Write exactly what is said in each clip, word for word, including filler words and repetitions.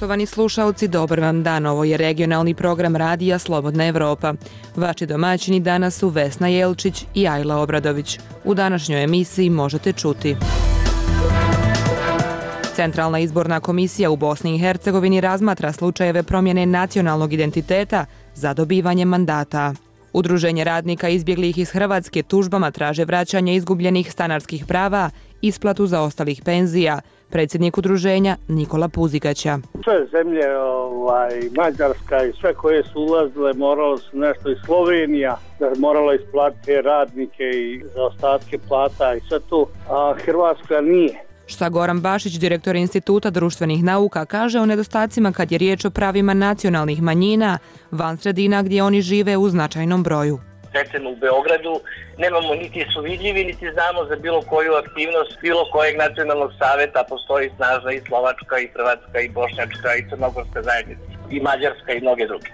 Poštovani slušaoci, dobar vam dan. Ovo je regionalni program radija Slobodna Evropa. Vaši domaćini danas su Vesna Jelčić i Ajla Obradović. U današnjoj emisiji možete čuti: Centralna izborna komisija u Bosni i Hercegovini razmatra slučajeve promjene nacionalnog identiteta za dobivanje mandata. Udruženje radnika izbjeglih iz Hrvatske tužbama traže vraćanje izgubljenih stanarskih prava, isplatu zaostalih penzija. Predsjednik udruženja Nikola Puzigaća. Sve zemlje, ovaj, Mađarska i sve koje su ulazile, moralo su nešto i Slovenija, da moralo isplatiti radnike i zaostatke plata i sve to, a Hrvatska nije. Šta Goran Bašić, direktor Instituta društvenih nauka, kaže o nedostacima kad je riječ o pravima nacionalnih manjina van sredina gdje oni žive u značajnom broju. Recimo u Beogradu nemamo niti su vidljivi, niti znamo za bilo koju aktivnost bilo kojeg nacionalnog saveta. Postoji snažna i slovačka, i hrvatska, i bošnjačka, i crnogorska zajednica, i mađarska, i mnoge druge.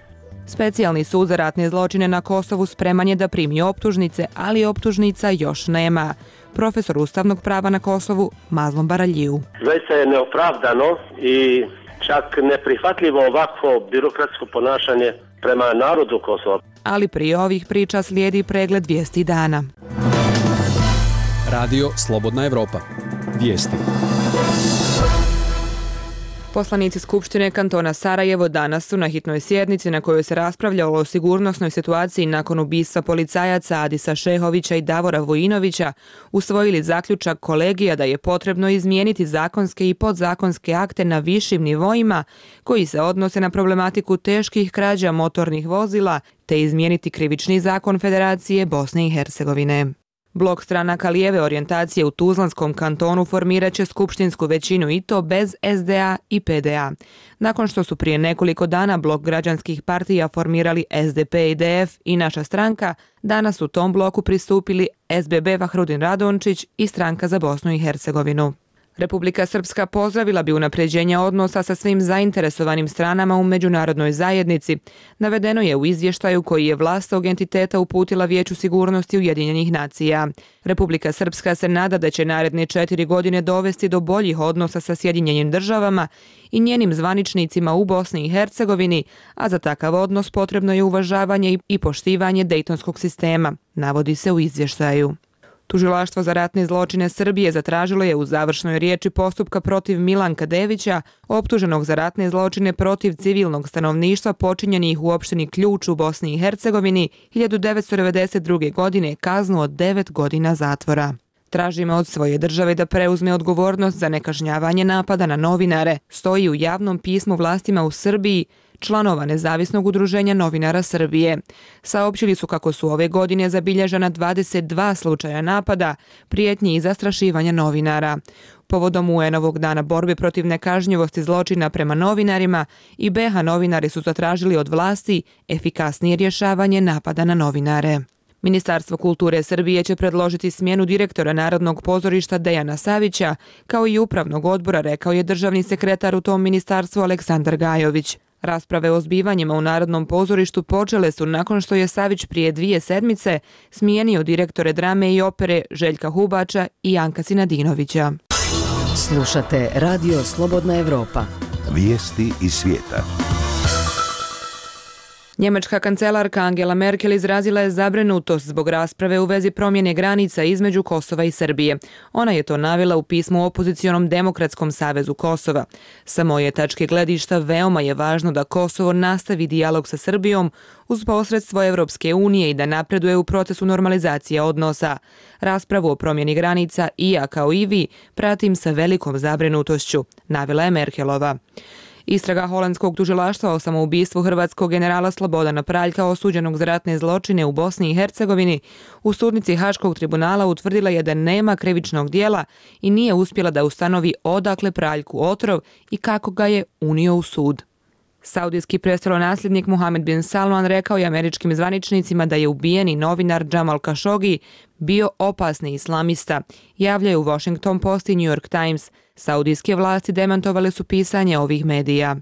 Specijalni sud za ratne zločine na Kosovu spreman je da primi optužnice, ali optužnica još nema. Profesor ustavnog prava na Kosovu Mazlom Baraljiju. Zaista je neopravdano i čak neprihvatljivo ovakvo birokratsko ponašanje prema narodu Kosova. Ali prije ovih priča slijedi pregled vijesti dana. Radio Slobodna Evropa. Vijesti. Poslanici Skupštine kantona Sarajevo danas su na hitnoj sjednici na kojoj se raspravljalo o sigurnosnoj situaciji nakon ubistva policajaca Adisa Šehovića i Davora Vojinovića usvojili zaključak kolegija da je potrebno izmijeniti zakonske i podzakonske akte na višim nivoima koji se odnose na problematiku teških krađa motornih vozila te izmijeniti krivični zakon Federacije Bosne i Hercegovine. Blok stranaka lijeve orijentacije u Tuzlanskom kantonu formirat će skupštinsku većinu i to bez S D A i P D A. Nakon što su prije nekoliko dana blok građanskih partija formirali S D P i D F i Naša stranka, danas su tom bloku pristupili S B B Vahrudin Radončić i Stranka za Bosnu i Hercegovinu. Republika Srpska pozdravila bi unapređenje odnosa sa svim zainteresovanim stranama u međunarodnoj zajednici. Navedeno je u izvještaju koji je vlast tog entiteta uputila Vijeću sigurnosti Ujedinjenih nacija. Republika Srpska se nada da će naredne četiri godine dovesti do boljih odnosa sa Sjedinjenim državama i njenim zvaničnicima u Bosni i Hercegovini, a za takav odnos potrebno je uvažavanje i poštivanje Dejtonskog sistema, navodi se u izvještaju. Tužilaštvo za ratne zločine Srbije zatražilo je u završnoj riječi postupka protiv Milanka Devića, optuženog za ratne zločine protiv civilnog stanovništva počinjenih u opštini Ključ u Bosni i Hercegovini hiljadu devetsto devedeset druge. godine, kaznu od devet godina zatvora. Tražimo od svoje države da preuzme odgovornost za nekažnjavanje napada na novinare, stoji u javnom pismu vlastima u Srbiji, članova Nezavisnog udruženja novinara Srbije. Saopćili su kako su ove godine zabilježena dvadeset dva slučaja napada, prijetnji i zastrašivanja novinara. Povodom U N-ovog dana borbe protiv nekažnjivosti zločina prema novinarima i B H novinari su zatražili od vlasti efikasnije rješavanje napada na novinare. Ministarstvo kulture Srbije će predložiti smjenu direktora Narodnog pozorišta Dejana Savića, kao i upravnog odbora, rekao je državni sekretar u tom ministarstvu Aleksandar Gajović. Rasprave o zbivanjima u Narodnom pozorištu počele su nakon što je Savić prije dvije sedmice smijenio direktore drame i opere Željka Hubača i Janka Sinadinovića. Slušate Radio Slobodna Evropa. Vijesti iz svijeta. Njemačka kancelarka Angela Merkel izrazila je zabrinutost zbog rasprave u vezi promjene granica između Kosova i Srbije. Ona je to navela u pismu opozicionom Demokratskom savezu Kosova. Sa moje tačke gledišta veoma je važno da Kosovo nastavi dijalog sa Srbijom uz posredstvo Evropske unije i da napreduje u procesu normalizacije odnosa. Raspravu o promjeni granica i ja kao i vi pratim sa velikom zabrinutošću, navela je Merkelova. Istraga holandskog tužilaštva o samoubistvu hrvatskog generala Slobodana Praljka osuđenog za ratne zločine u Bosni i Hercegovini u sudnici Haškog tribunala utvrdila je da nema krivičnog dijela i nije uspjela da ustanovi odakle Praljku otrov i kako ga je unio u sud. Saudijski prestolonasljednik Mohamed bin Salman rekao je američkim zvaničnicima da je ubijeni novinar Jamal Khashoggi bio opasni islamista, javljaju Washington Post i New York Times. Saudijske vlasti demantovale su pisanje ovih medija.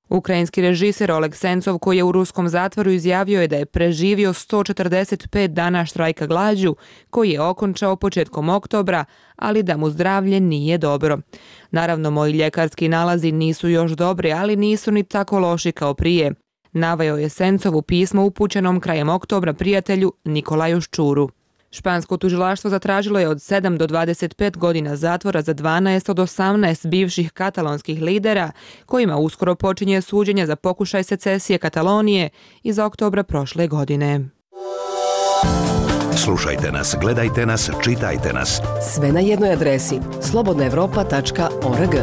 Ukrajinski režiser Oleg Sencov, koji je u ruskom zatvoru, izjavio je da je preživio sto četrdeset pet dana štrajka glađu, koji je okončao početkom oktobra, ali da mu zdravlje nije dobro. Naravno, moji ljekarski nalazi nisu još dobri, ali nisu ni tako loši kao prije. Naveo je Sencov u pismu upućenom krajem oktobra prijatelju Nikolaju Ščuru. Špansko tužilaštvo zatražilo je od sedam do dvadeset pet godina zatvora za dvanaest od osamnaest bivših katalonskih lidera, kojima uskoro počinje suđenje za pokušaj secesije Katalonije iz oktobra prošle godine. Slušajte nas, gledajte nas, čitajte nas. Sve na jednoj adresi slobodna evropa tačka org.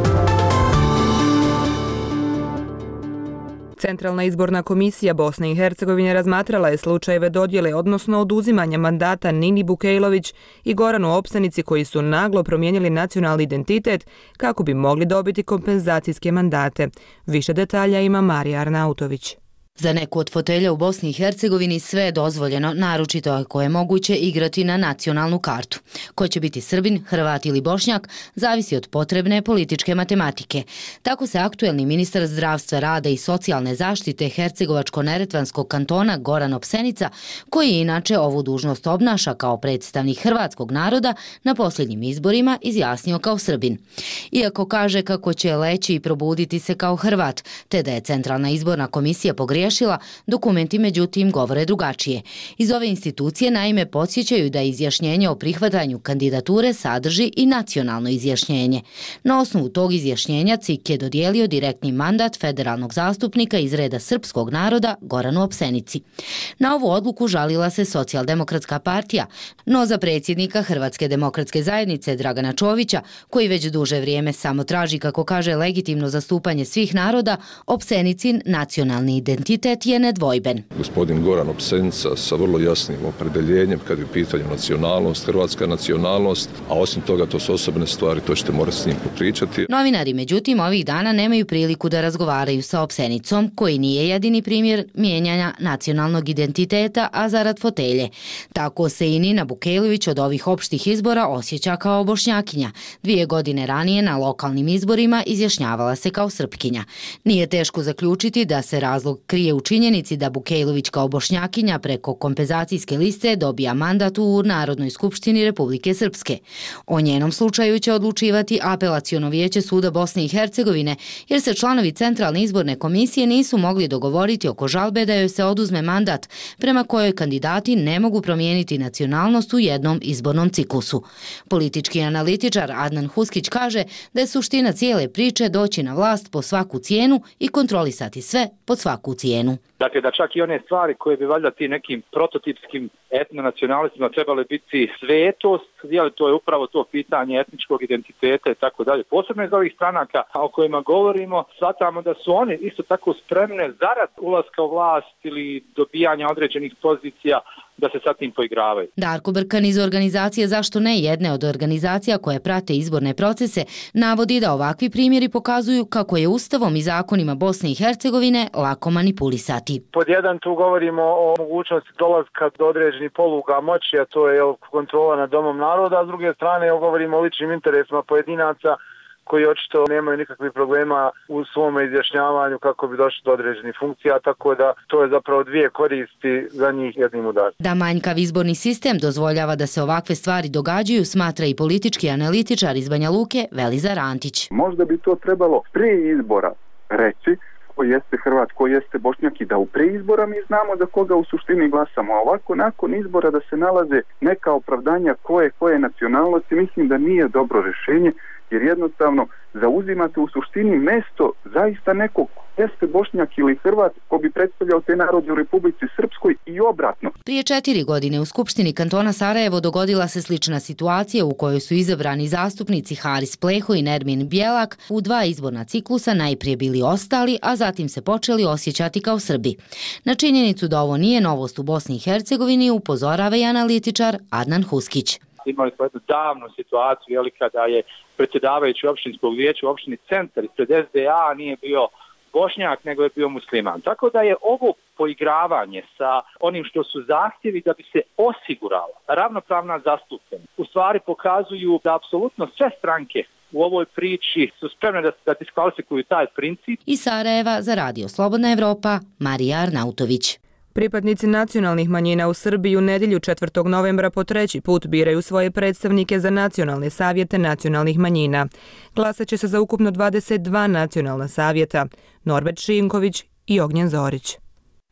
Centralna izborna komisija Bosne i Hercegovine razmatrala je slučajeve dodjele, odnosno oduzimanja mandata Nini Bukejlović i Goranu Opsenici, koji su naglo promijenili nacionalni identitet kako bi mogli dobiti kompenzacijske mandate. Više detalja ima Marija Arnautović. Za neku od fotelja u Bosni i Hercegovini sve je dozvoljeno, naročito ako je moguće igrati na nacionalnu kartu. Ko će biti Srbin, Hrvat ili Bošnjak, zavisi od potrebne političke matematike. Tako se aktuelni ministar zdravstva, rada i socijalne zaštite Hercegovačko-neretvanskog kantona Goran Opsenica, koji inače ovu dužnost obnaša kao predstavnik hrvatskog naroda, na posljednjim izborima izjasnio kao Srbin. Iako kaže kako će leći i probuditi se kao Hrvat, te da je Centralna izborna komisija pogriješila, dokumenti međutim govore drugačije. Iz ove institucije naime podsjećaju da izjašnjenje o prihvatanju kandidature sadrži i nacionalno izjašnjenje. Na osnovu tog izjašnjenja C I K je dodijelio direktni mandat federalnog zastupnika iz reda srpskog naroda Goranu Opsenici. Na ovu odluku žalila se Socijaldemokratska partija, no za predsjednika Hrvatske demokratske zajednice Dragana Čovića, koji već duže vrijeme samo traži, kako kaže, legitimno zastupanje svih naroda, Opsenicin nacionalni identitet je nedvojben. Gospodin Goran Opsenica sa vrlo jasnim opredeljenjem kad je u pitanju nacionalnost, hrvatska nacionalnost, a osim toga to su osobne stvari, to ćete morati s njim popričati. Novinari međutim ovih dana nemaju priliku da razgovaraju sa Opsenicom, koji nije jedini primjer mijenjanja nacionalnog identiteta, a zarad fotelje. Tako se i Nina Bukejlović od ovih opštih izbora osjeća kao Bošnjakinja. Dvije godine ranije na lokalnim izborima izjašnjavala se kao Srpkinja. Nije teško zaključiti da se razlog krije u činjenici da Bukejlović kao Bošnjakinja preko kompenzacijske liste dobija mandat u Narodnoj skupštini Republike Srpske. O njenom slučaju će odlučivati Apelaciono vijeće suda Bosne i Hercegovine, jer se članovi Centralne izborne komisije nisu mogli dogovoriti oko žalbe da joj se oduzme mandat, prema kojoj kandidati ne mogu promijeniti nacionalnost u jednom izbornom ciklusu. Politički analitičar Adnan Huskić kaže da je suština cijele priče doći na vlast po svaku cijenu i kontrolisati sve pod svaku cijenu. Dakle, da čak i one stvari koje bi valjda ti nekim prototipskim etnonacionalistima trebale biti svetost, jel, to je upravo to pitanje etničkog identiteta i tako dalje. Posebno iz ovih stranaka o kojima govorimo, shvatamo da su one isto tako spremne zarad ulaska u vlast ili dobijanja određenih pozicija da se sa tim poigravaju. Darko Brkan iz organizacije Zašto ne, jedne od organizacija koje prate izborne procese, navodi da ovakvi primjeri pokazuju kako je Ustavom i zakonima Bosne i Hercegovine lako manipulisati. Pod jedan tu govorimo o mogućnosti dolaska do određenih poluga moći, a to je kontrola nad domom naroda, a s druge strane govorimo o ličnim interesima pojedinaca koji očito nemaju nikakvih problema u svom izjašnjavanju kako bi došli do određenih funkcija, tako da to je zapravo dvije koristi za njih jednim udarom. Da manjkav izborni sistem dozvoljava da se ovakve stvari događaju, smatra i politički analitičar iz Banja Luke Velizar Antić. Možda bi to trebalo prije izbora reći ko jeste Hrvat, ko jeste Bošnjak i da u prije izbora mi znamo za koga u suštini glasamo. A ovako nakon izbora da se nalaze neka opravdanja koje koje nacionalnosti, mislim da nije dobro rješenje, jer jednostavno zauzimate u suštini mesto zaista nekog jeste Bošnjak ili Hrvat ko bi predstavljao te narode u Republici Srpskoj i obratno. Prije četiri godine u Skupštini kantona Sarajevo dogodila se slična situacija u kojoj su izabrani zastupnici Haris Pleho i Nermin Bjelak u dva izborna ciklusa najprije bili ostali, a zatim se počeli osjećati kao Srbi. Na činjenicu da ovo nije novost u Bosni i Hercegovini upozorava i analitičar Adnan Huskić. Imali smo jednu davnu situaciju, jeli, kada je predsjedavajući opštinskog vijeća u opštini Centar ispred S D A nije bio Bošnjak, nego je bio musliman. Tako da je ovo poigravanje sa onim što su zahtjevi da bi se osigurala ravnopravna zastupljenost, u stvari pokazuju da apsolutno sve stranke u ovoj priči su spremne da, da diskvalifikuju taj princip. Iz Sarajeva za Radio Slobodna Evropa, Marija Arnautović. Pripadnici nacionalnih manjina u Srbiji u nedjelju četvrtog novembra po treći put biraju svoje predstavnike za nacionalne savjete nacionalnih manjina. Glasat će se za ukupno dvadeset dva nacionalna savjeta. Norbert Šinković i Ognjen Zorić.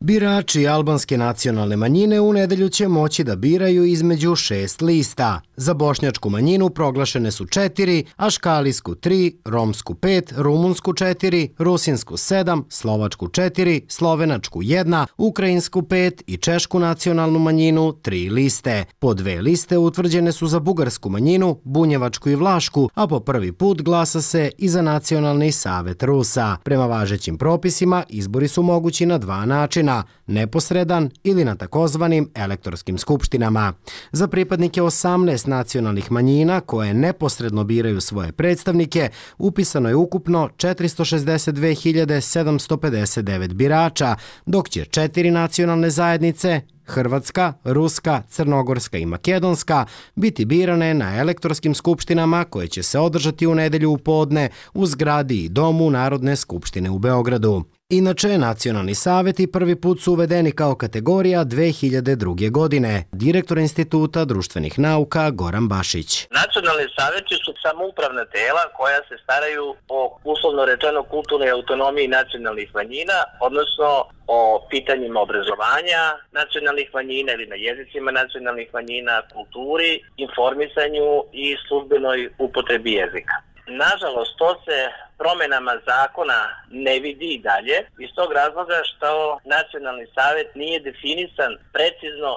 Birači albanske nacionalne manjine u nedelju će moći da biraju između šest lista. Za bošnjačku manjinu proglašene su četiri, aškalijsku tri, romsku pet, rumunsku četiri, rusinsku sedam, slovačku četiri, slovenačku jedna, ukrajinsku pet i češku nacionalnu manjinu tri liste. Po dve liste utvrđene su za bugarsku manjinu, bunjevačku i vlašku, a po prvi put glasa se i za nacionalni savet Rusa. Prema važećim propisima izbori su mogući na dva načina, neposredan ili na takozvanim elektorskim skupštinama. Za pripadnike osamnaest nacionalnih manjina koje neposredno biraju svoje predstavnike upisano je ukupno četiristo šezdeset dve hiljade sedamsto pedeset devet birača, dok će četiri nacionalne zajednice, Hrvatska, Ruska, Crnogorska i Makedonska, biti birane na elektorskim skupštinama koje će se održati u nedelju u podne u zgradi i domu Narodne skupštine u Beogradu. Inače, nacionalni savjeti prvi put su uvedeni kao kategorija dve hiljade druge. godine. Direktor Instituta društvenih nauka Goran Bašić. Nacionalni savjeti su samoupravna tela koja se staraju o, uslovno rečeno, kulturnoj autonomiji nacionalnih manjina, odnosno o pitanjima obrazovanja nacionalnih manjina ili na jezicima nacionalnih manjina, kulturi, informisanju i službenoj upotrebi jezika. Nažalost, to se promjenama zakona ne vidi i dalje, iz tog razloga što nacionalni savjet nije definisan precizno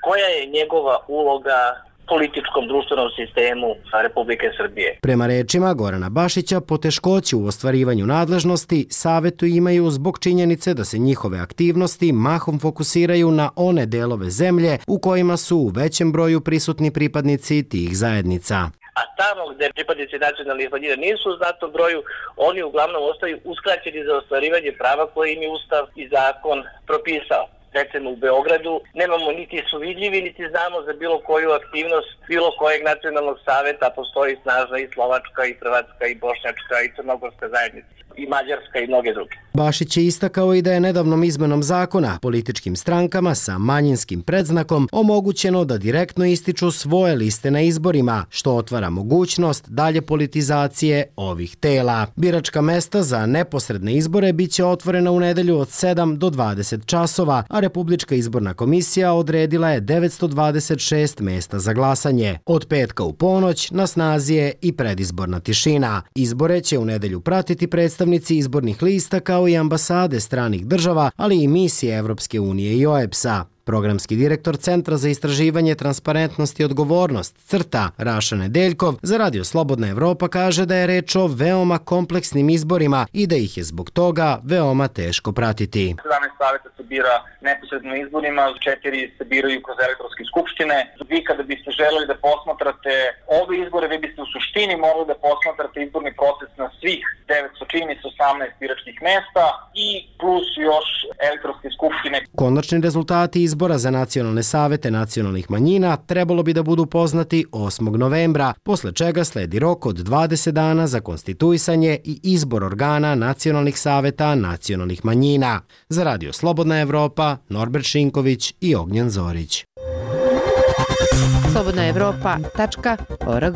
koja je njegova uloga političkom društvenom sistemu Republike Srbije. Prema rečima Gorana Bašića, poteškoće u ostvarivanju nadležnosti savetu imaju zbog činjenice da se njihove aktivnosti mahom fokusiraju na one delove zemlje u kojima su u većem broju prisutni pripadnici tih zajednica. A tamo gdje pripadnici nacionalnih manjina nisu u znatom broju, oni uglavnom ostaju uskraćeni za ostvarivanje prava koje im je Ustav i zakon propisao. Recimo u Beogradu nemamo niti su vidljivi, niti znamo za bilo koju aktivnost bilo kojeg nacionalnog saveta, postoji snažna i slovačka i hrvatska i bošnjačka i crnogorska zajednica i mađarska i mnoge druge. Bašić je istakao i da je nedavnom izmenom zakona političkim strankama sa manjinskim predznakom omogućeno da direktno ističu svoje liste na izborima, što otvara mogućnost dalje politizacije ovih tela. Biračka mesta za neposredne izbore biće otvorena u nedelju od sedam do dvadeset časova, a Republička izborna komisija odredila je devetsto dvadeset šest mesta za glasanje. Od petka u ponoć na snazi je i predizborna tišina. Izbore će u nedelju pratiti predstavnici izbornih lista kao i ambasade stranih država, ali i misije Evropske unije i O E B S-a. Programski direktor Centra za istraživanje transparentnosti i odgovornost, CRTA, Raša Nedeljkov, za Radio Slobodna Evropa kaže da je reč o veoma kompleksnim izborima i da ih je zbog toga veoma teško pratiti. sedamnaest savjeta se bira neposredno izborima, četiri se biraju kroz elektronske skupštine. Vi kada biste želeli da posmatrate ove izbore, vi biste u suštini morali da posmatrate izborni proces na svih devetsto osamnaest biračkih mesta i plus još elektronske skupštine. Konačni rezultati izbora za nacionalne savete nacionalnih manjina trebalo bi da budu poznati osmog novembra, posle čega sledi rok od dvadeset dana za konstituisanje i izbor organa nacionalnih saveta nacionalnih manjina. Za Radio Slobodna Evropa, Norbert Šinković i Ognjen Zorić. slobodna evropa tačka org.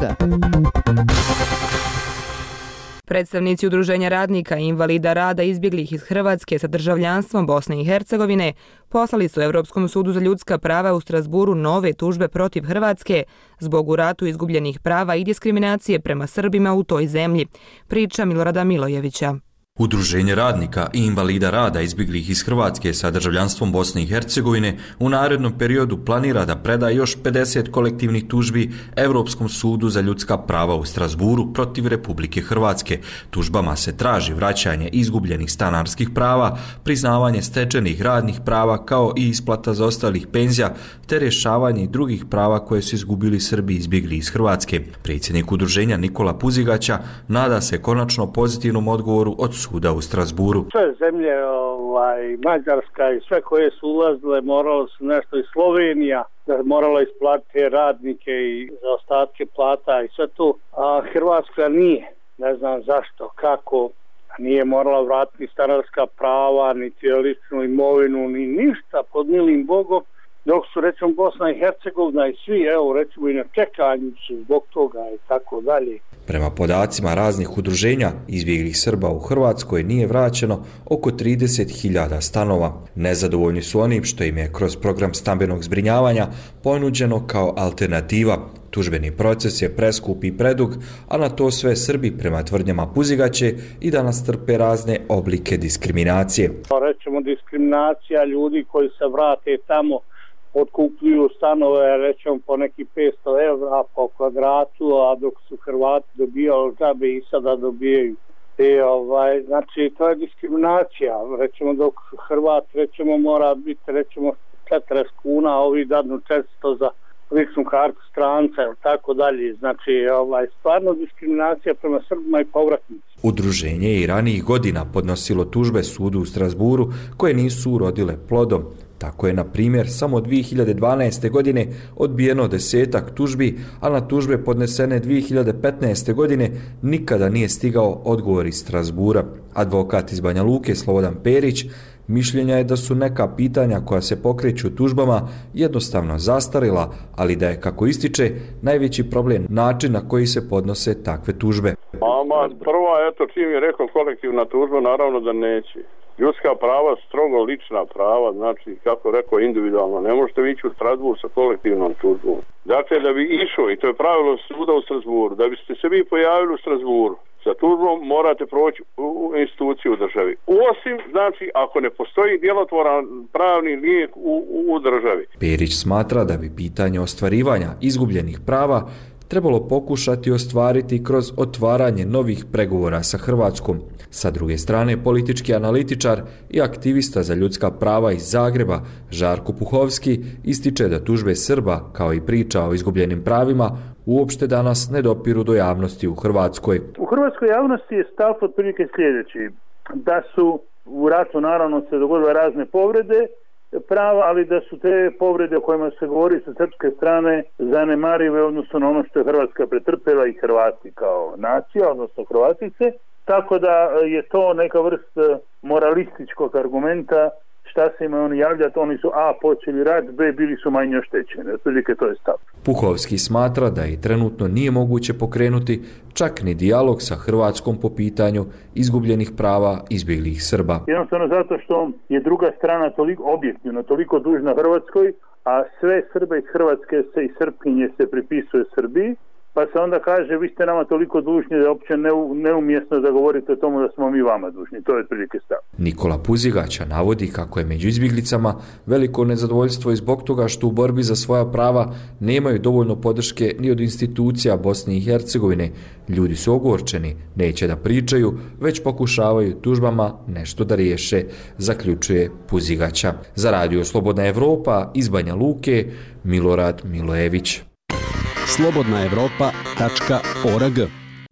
Predstavnici Udruženja radnika i invalida rada izbjeglih iz Hrvatske sa državljanstvom Bosne i Hercegovine poslali su Evropskom sudu za ljudska prava u Strasburu nove tužbe protiv Hrvatske zbog u ratu izgubljenih prava i diskriminacije prema Srbima u toj zemlji. Priča Milorada Milojevića. Udruženje radnika i invalida rada izbjeglih iz Hrvatske sa državljanstvom Bosne i Hercegovine u narednom periodu planira da preda još pedeset kolektivnih tužbi Evropskom sudu za ljudska prava u Strasburu protiv Republike Hrvatske. Tužbama se traži vraćanje izgubljenih stanarskih prava, priznavanje stečenih radnih prava kao i isplata zaostalih penzija te rješavanje i drugih prava koje su izgubili Srbi izbjegli iz Hrvatske. Predsjednik udruženja Nikola Puzigaća nada se konačno pozitivnom odgovoru od suda u Strasburu. Sve zemlje, ovaj, Mađarska i sve koje su ulazile, moralo su nešto i Slovenija, da morala isplatiti radnike i zaostatke plata i sve to, a Hrvatska nije. ne znam zašto, kako, nije morala vratiti stanarska prava, niti ličnu imovinu, ni ništa pod milim Bogom, dok su recimo Bosna i Hercegovina i svi, evo recimo i na čekanju su zbog toga i tako dalje. Prema podacima raznih udruženja izbjeglih Srba u Hrvatskoj nije vraćeno oko trideset hiljada stanova. Nezadovoljni su onim što im je kroz program stambenog zbrinjavanja ponuđeno kao alternativa. Tužbeni proces je preskup i predug, a na to sve Srbi prema tvrdnjama Puzigaće i danas trpe razne oblike diskriminacije. Rećemo diskriminacija ljudi koji se vrate tamo, otkupljuju stanove, rećemo po neki petsto evra po kvadratu, a dok su Hrvati dobijali džabe i sada dobijaju. I, ovaj, znači to je diskriminacija, rećemo dok Hrvat rećemo mora biti rećemo četrdeset kuna, a ovi dadnu četiristo za ličnu kartu stranca ili tako dalje. Znači ovaj, stvarno diskriminacija prema Srbima i povratnicima. Udruženje je i ranijih godina podnosilo tužbe sudu u Strasburu koje nisu urodile plodom. Tako je, na primjer, samo dvije hiljade dvanaeste. godine odbijeno desetak tužbi, a na tužbe podnesene dvije hiljade petnaeste. godine nikada nije stigao odgovor iz Strasbura. Advokat iz Banja Luke Slobodan Perić mišljenja je da su neka pitanja koja se pokreću tužbama jednostavno zastarila, ali da je, kako ističe, najveći problem način na koji se podnose takve tužbe. Ama, prvo, eto, čim je rekao kolektivna tužba, naravno da neće. Ljudska prava, strogo lična prava, znači, kako rekao, individualno. Ne možete ići u Strasbur sa kolektivnom tužbom. Dakle, da bi išao, i to je pravilo suda u Strasburu, da biste se vi pojavili u Strasburu sa tužbom, morate proći u instituciju u državi. Osim, znači, ako ne postoji djelotvoran pravni lijek u, u državi. Perić smatra da bi pitanje ostvarivanja izgubljenih prava trebalo pokušati ostvariti kroz otvaranje novih pregovora sa Hrvatskom. Sa druge strane, politički analitičar i aktivista za ljudska prava iz Zagreba, Žarko Puhovski, ističe da tužbe Srba, kao i priča o izgubljenim pravima, uopšte danas ne dopiru do javnosti u Hrvatskoj. U hrvatskoj javnosti je stav otprilike sljedeći, da su u ratu naravno se dogodile razne povrede prava, ali da su te povrede o kojima se govori sa srpske strane zanemarive odnosno na ono što je Hrvatska pretrpela i Hrvati kao nacija, odnosno Hrvatice, tako da je to neka vrst moralističkog argumenta. Šta se ima oni javljati, oni su A počeli rat, B bili su manje oštećeni. Otprilike to je stav. Puhovski smatra da i trenutno nije moguće pokrenuti čak ni dijalog sa Hrvatskom po pitanju izgubljenih prava izbjeglih Srba. Jednostavno zato što je druga strana toliko objektivno, toliko dužna Hrvatskoj, a sve Srbe iz Hrvatske se i Srpkinje se pripisuje Srbiji, pa se onda kaže vi ste nama toliko dužni da je uopće neumjesno da govorite o tomu da smo mi vama dužni. To je otprilike stav. Nikola Puzigaća navodi kako je među izbjeglicama veliko nezadovoljstvo i zbog toga što u borbi za svoja prava nemaju dovoljno podrške ni od institucija Bosne i Hercegovine. Ljudi su ogorčeni, neće da pričaju, već pokušavaju tužbama nešto da riješe, zaključuje Puzigaća. Za radio Slobodna Evropa iz Banja Luke, Milorad Milojević. slobodna evropa tačka org.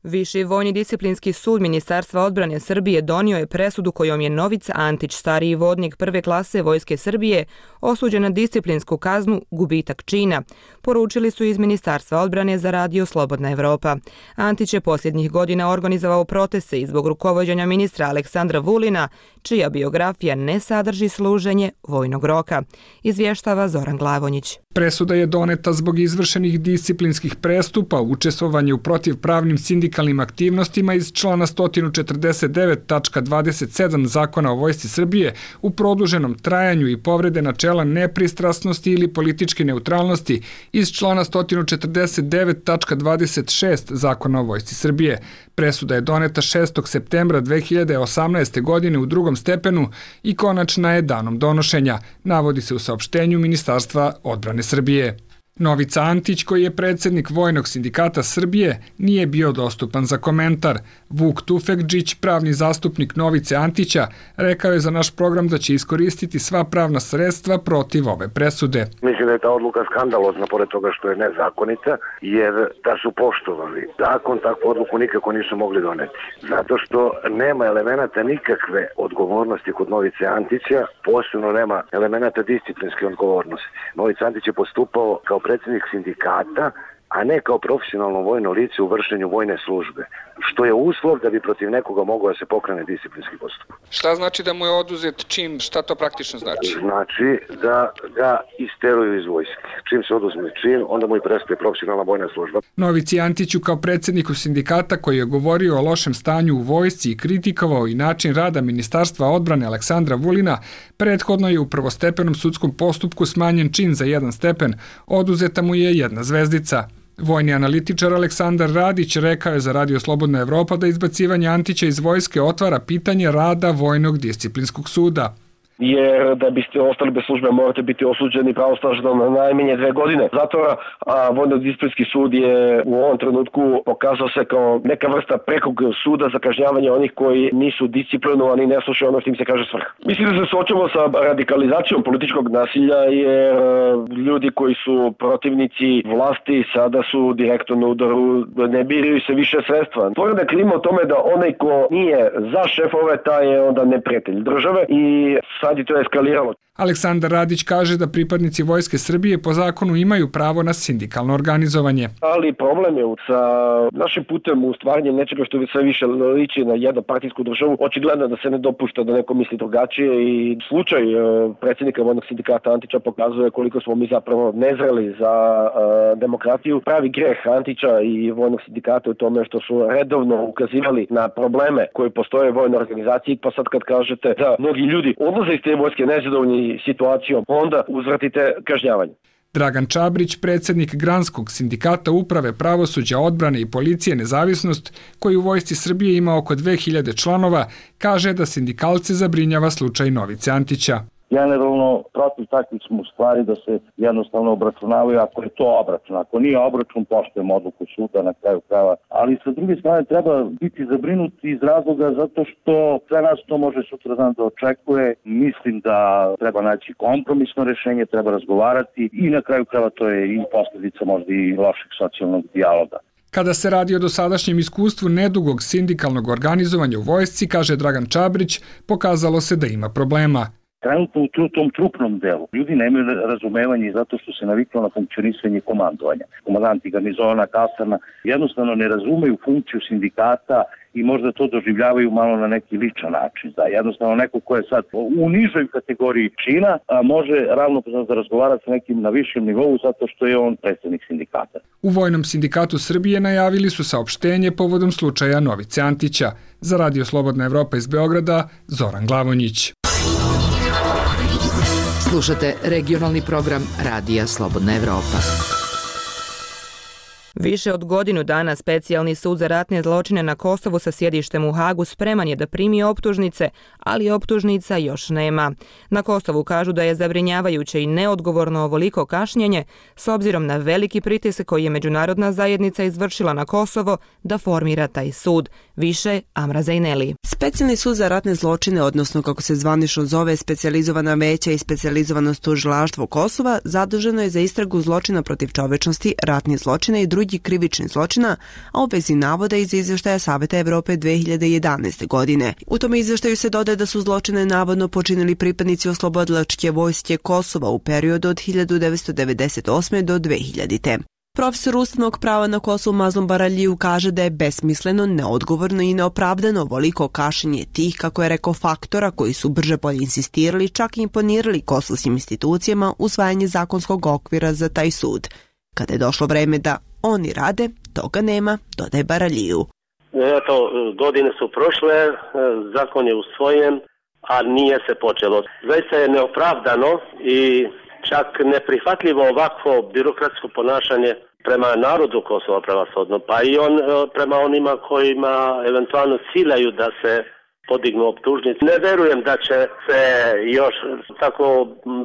Viši vojni disciplinski sud Ministarstva odbrane Srbije donio je presudu kojom je Novica Antić, stariji vodnik prve klase Vojske Srbije, osuđen na disciplinsku kaznu gubitak čina, poručili su iz Ministarstva odbrane za radio Slobodna Evropa. Antić je posljednjih godina organizovao proteste i zbog rukovođenja ministra Aleksandra Vulina, čija biografija ne sadrži služenje vojnog roka, izvještava Zoran Glavonjić. Presuda je doneta zbog izvršenih disciplinskih prestupa, učestvovanje u protivpravnim sindikalnim aktivnostima iz člana sto četrdeset devet tačka dvadeset sedam Zakona o Vojsci Srbije u produženom trajanju i povrede načela nepristrasnosti ili političke neutralnosti iz člana sto četrdeset devet tačka dvadeset šest Zakona o Vojsci Srbije. Presuda je doneta šestog septembra dve hiljade osamnaeste. godine u drugom stepenu i konačna je danom donošenja, navodi se u saopštenju Ministarstva odbrane Srbije. Novica Antić, koji je predsjednik Vojnog sindikata Srbije, nije bio dostupan za komentar. Vuk Tufekđić, pravni zastupnik Novice Antića, rekao je za naš program da će iskoristiti sva pravna sredstva protiv ove presude. Mislim da je ta odluka skandalozna, pored toga što je nezakonita, jer da su poštovali zakon, takvu odluku nikako nisu mogli doneti. Zato što nema elemenata nikakve odgovornosti kod Novice Antića, posebno nema elemenata disciplinske odgovornosti. Novica Antić je postupao kao predsjednik sindikata a ne kao profesionalno vojno lice u vršenju vojne službe, što je uslov da bi protiv nekoga mogao da se pokrene disciplinski postupak. Šta znači da mu je oduzet čin? Šta to praktično znači? Znači da ga isteruju iz vojske. Čim se oduzme čin, onda mu i prestaje profesionalna vojna služba. Novici Antiću kao predsjedniku sindikata koji je govorio o lošem stanju u vojsci i kritikovao i način rada Ministarstva odbrane Aleksandra Vulina, prethodno je u prvostepenom sudskom postupku smanjen čin za jedan stepen, oduzeta mu je jedna zvezdica. Vojni analitičar Aleksandar Radić rekao je za Radio Slobodna Evropa da izbacivanje Antića iz vojske otvara pitanje rada Vojnog disciplinskog suda. Jer da biste ostali bez službe morate biti osuđeni pravosnažno na najmanje dve godine zatvora, a Vojno-disciplinski sud je u ovom trenutku pokazao se kao neka vrsta prekog suda za kažnjavanje onih koji nisu disciplinovani, ne slušaju ono što im se kaže svrha. Mislim da se suočamo sa radikalizacijom političkog nasilja jer ljudi koji su protivnici vlasti sada su direktno na udaru, ne biraju se više sredstva. Stvorena je klima o tome da onaj ko nije za šefove, taj je onda neprijatelj države i sad je to eskaliralo. Aleksandar Radić kaže da pripadnici Vojske Srbije po zakonu imaju pravo na sindikalno organizovanje. Ali problem je sa našim putem u stvaranju nečega što sve više liči na jednopartijsku državu. Očigledno da se ne dopušta da neko misli drugačije i slučaj predsjednika Vojnog sindikata Antića pokazuje koliko smo mi zapravo nezreli za uh, demokratiju. Pravi greh Antića i Vojnog sindikata u tome što su redovno ukazivali na probleme koji postoje u vojnoj organizaciji, pa sad kad kažete da mnogi ljudi odlaze iz te vojske nezadovoljni situacijom, onda uzvratite kažnjavanje. Dragan Čabrić, predsjednik Granskog sindikata uprave pravosuđa, odbrane i policije Nezavisnost, koji u Vojsci Srbije ima oko dve hiljade članova, kaže da sindikalce zabrinjava slučaj Novice Antića. Generalno, protiv takvih smo stvari da se jednostavno obračunavaju ako je to obračun. Ako nije obračun, poštujemo odluku suda na kraju krajeva. Ali sa druge strane treba biti zabrinuti iz razloga zato što sve nas to može sutradan da očekuje. Mislim da treba naći kompromisno rješenje, treba razgovarati i na kraju krajeva to je i posljedica možda i lošeg socijalnog dijaloga. Kada se radi o dosadašnjem iskustvu nedugog sindikalnog organizovanja u vojsci, kaže Dragan Čabrić, pokazalo se da ima problema. Trenutno u tom trupnom delu ljudi nemaju razumevanje zato što se naviklo na funkcionisanje komandovanja. Komandanti garnizona, kasarna jednostavno ne razumeju funkciju sindikata i možda to doživljavaju malo na neki ličan način. Da jednostavno neko ko je sad u nižoj kategoriji čina a može ravnopravno da razgovara sa nekim na višem nivou zato što je on predsjednik sindikata. U Vojnom sindikatu Srbije najavili su saopštenje povodom slučaja Novice Antića. Za Radio Slobodna Evropa iz Beograda, Zoran Glavonjić. Slušate regionalni program Radija Slobodna Evropa. Više od godinu dana Specijalni sud za ratne zločine na Kosovu sa sjedištem u Hagu spreman je da primi optužnice, ali optužnica još nema. Na Kosovu kažu da je zabrinjavajuće i neodgovorno ovoliko kašnjenje s obzirom na veliki pritisak koji je međunarodna zajednica izvršila na Kosovo da formira taj sud. Više Amra Zajneli. Specijalni sud za ratne zločine, odnosno kako se zvanično zove specijalizovana veća i specijalizovano tužilaštvo Kosova, zaduženo je za istragu zločina protiv čovečnosti, ratnih zločina i drugih krivičnih zločina, a u vezi navoda iz izvještaja Saveta Evrope dve hiljade jedanaeste. godine. U tom izvještaju se dodaje da su zločine navodno počinili pripadnici oslobodilačke vojske Kosova u periodu od hiljadu devetsto devedeset osme. do dve hiljadite. Profesor ustavnog prava na Kosovu Mazlum Baraliju kaže da je besmisleno, neodgovorno i neopravdano ovoliko kašnjenje tih, kako je rekao, faktora koji su brže bolje insistirali, čak i imponirali kosovskim institucijama usvajanje zakonskog okvira za taj sud. Kada je došlo vreme da oni rade, toga nema, dodaje Baraliju. Eto, godine su prošle, zakon je usvojen, a nije se počelo. Zaista je neopravdano i čak neprihvatljivo ovakvo birokratsko ponašanje prema narodu Kosova prevashodno, pa i on prema onima kojima eventualno ciljaju da se podignu optužnice. Ne verujem da će se još tako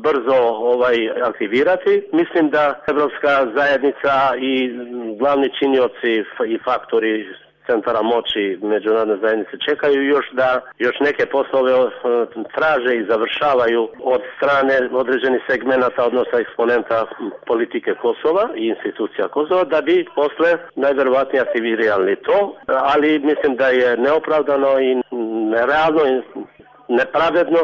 brzo ovaj aktivirati. Mislim da Evropska zajednica i glavni činioci i faktori centara moći međunarodne zajednice čekaju još da još neke poslove traže i završavaju od strane određenih segmenata, odnosno eksponenta politike Kosova i institucija Kosova, da bi posle najverovatnije aktivirali to, ali mislim da je neopravdano i nerealno i nepravedno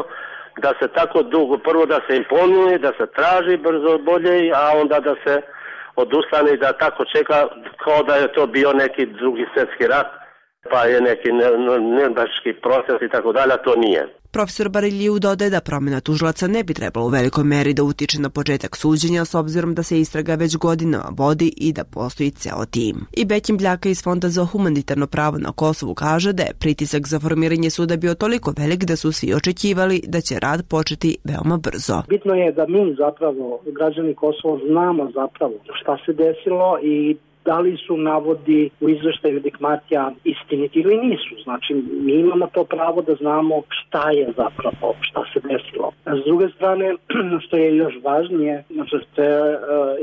da se tako dugo, prvo da se imponuje, da se traži brzo bolje, a onda da se odustane i da tako čeka kao da je to bio neki drugi svjetski rat, pa je neki nirnberški proces i tako dalje, to nije. Profesor Bariljiu dodaje da promjena tužilaca ne bi trebalo u velikoj meri da utiče na početak suđenja s obzirom da se istraga već godinama vodi i da postoji ceo tim. I Bekim Bljaka iz Fonda za humanitarno pravo na Kosovu kaže da je pritisak za formiranje suda bio toliko velik da su svi očekivali da će rad početi veoma brzo. Bitno je da mi zapravo, građani Kosova, znamo zapravo šta se desilo i da li su navodi u izveštaju Dikmatija istiniti ili nisu. Znači, mi imamo to pravo da znamo šta je zapravo, šta se desilo. A s druge strane, što je još važnije, žrtve uh,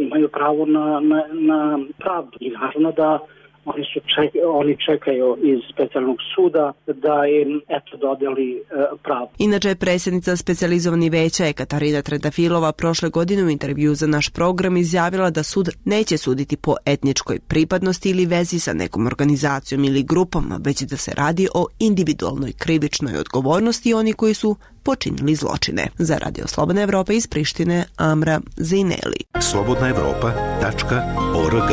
imaju pravo na, na, na pravdu. I naravno da Oni, su ček, oni čekaju iz specijalnog suda da im eto dodeli e, pravo. Inače je predsjednica specijalizovanih veća Katarina Trentafilova prošle godine u intervju za naš program izjavila da sud neće suditi po etničkoj pripadnosti ili vezi sa nekom organizacijom ili grupom, već da se radi o individualnoj krivičnoj odgovornosti oni koji su počinili zločine. Za Radio Slobodna Evropa iz Prištine, Amra Zejneli. slobodna evropa tačka org.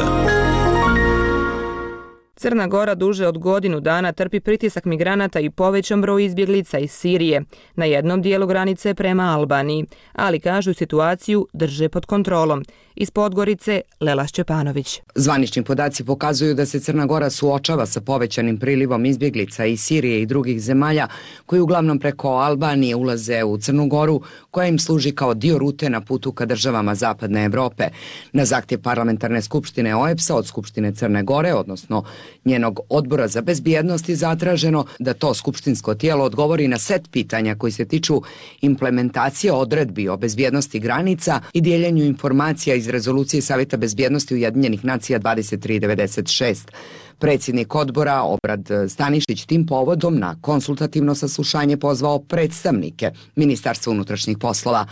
Crna Gora duže od godinu dana trpi pritisak migranata i povećan broj izbjeglica iz Sirije na jednom dijelu granice prema Albaniji, ali kažu situaciju drže pod kontrolom. Iz Podgorice, Lela Šćepanović. Zvanični podaci pokazuju da se Crna Gora suočava sa povećanim prilivom izbjeglica iz Sirije i drugih zemalja koji uglavnom preko Albanije ulaze u Crnu Goru, koja im služi kao dio rute na putu ka državama Zapadne Evrope. Na zahtjev Parlamentarne skupštine O E B S-a od Skupštine Crne Gore, odnosno njenog odbora za bezbjednost, je zatraženo da to skupštinsko tijelo odgovori na set pitanja koji se tiču implementacije odredbi o bezbjednosti granica i dijeljenju informacija iz rezolucije Savjeta bezbjednosti Ujedinjenih nacija dvadeset tri devedeset šest. Predsjednik odbora Obrad Stanišić tim povodom na konsultativno saslušanje pozvao predstavnike Ministarstva unutrašnjih poslova.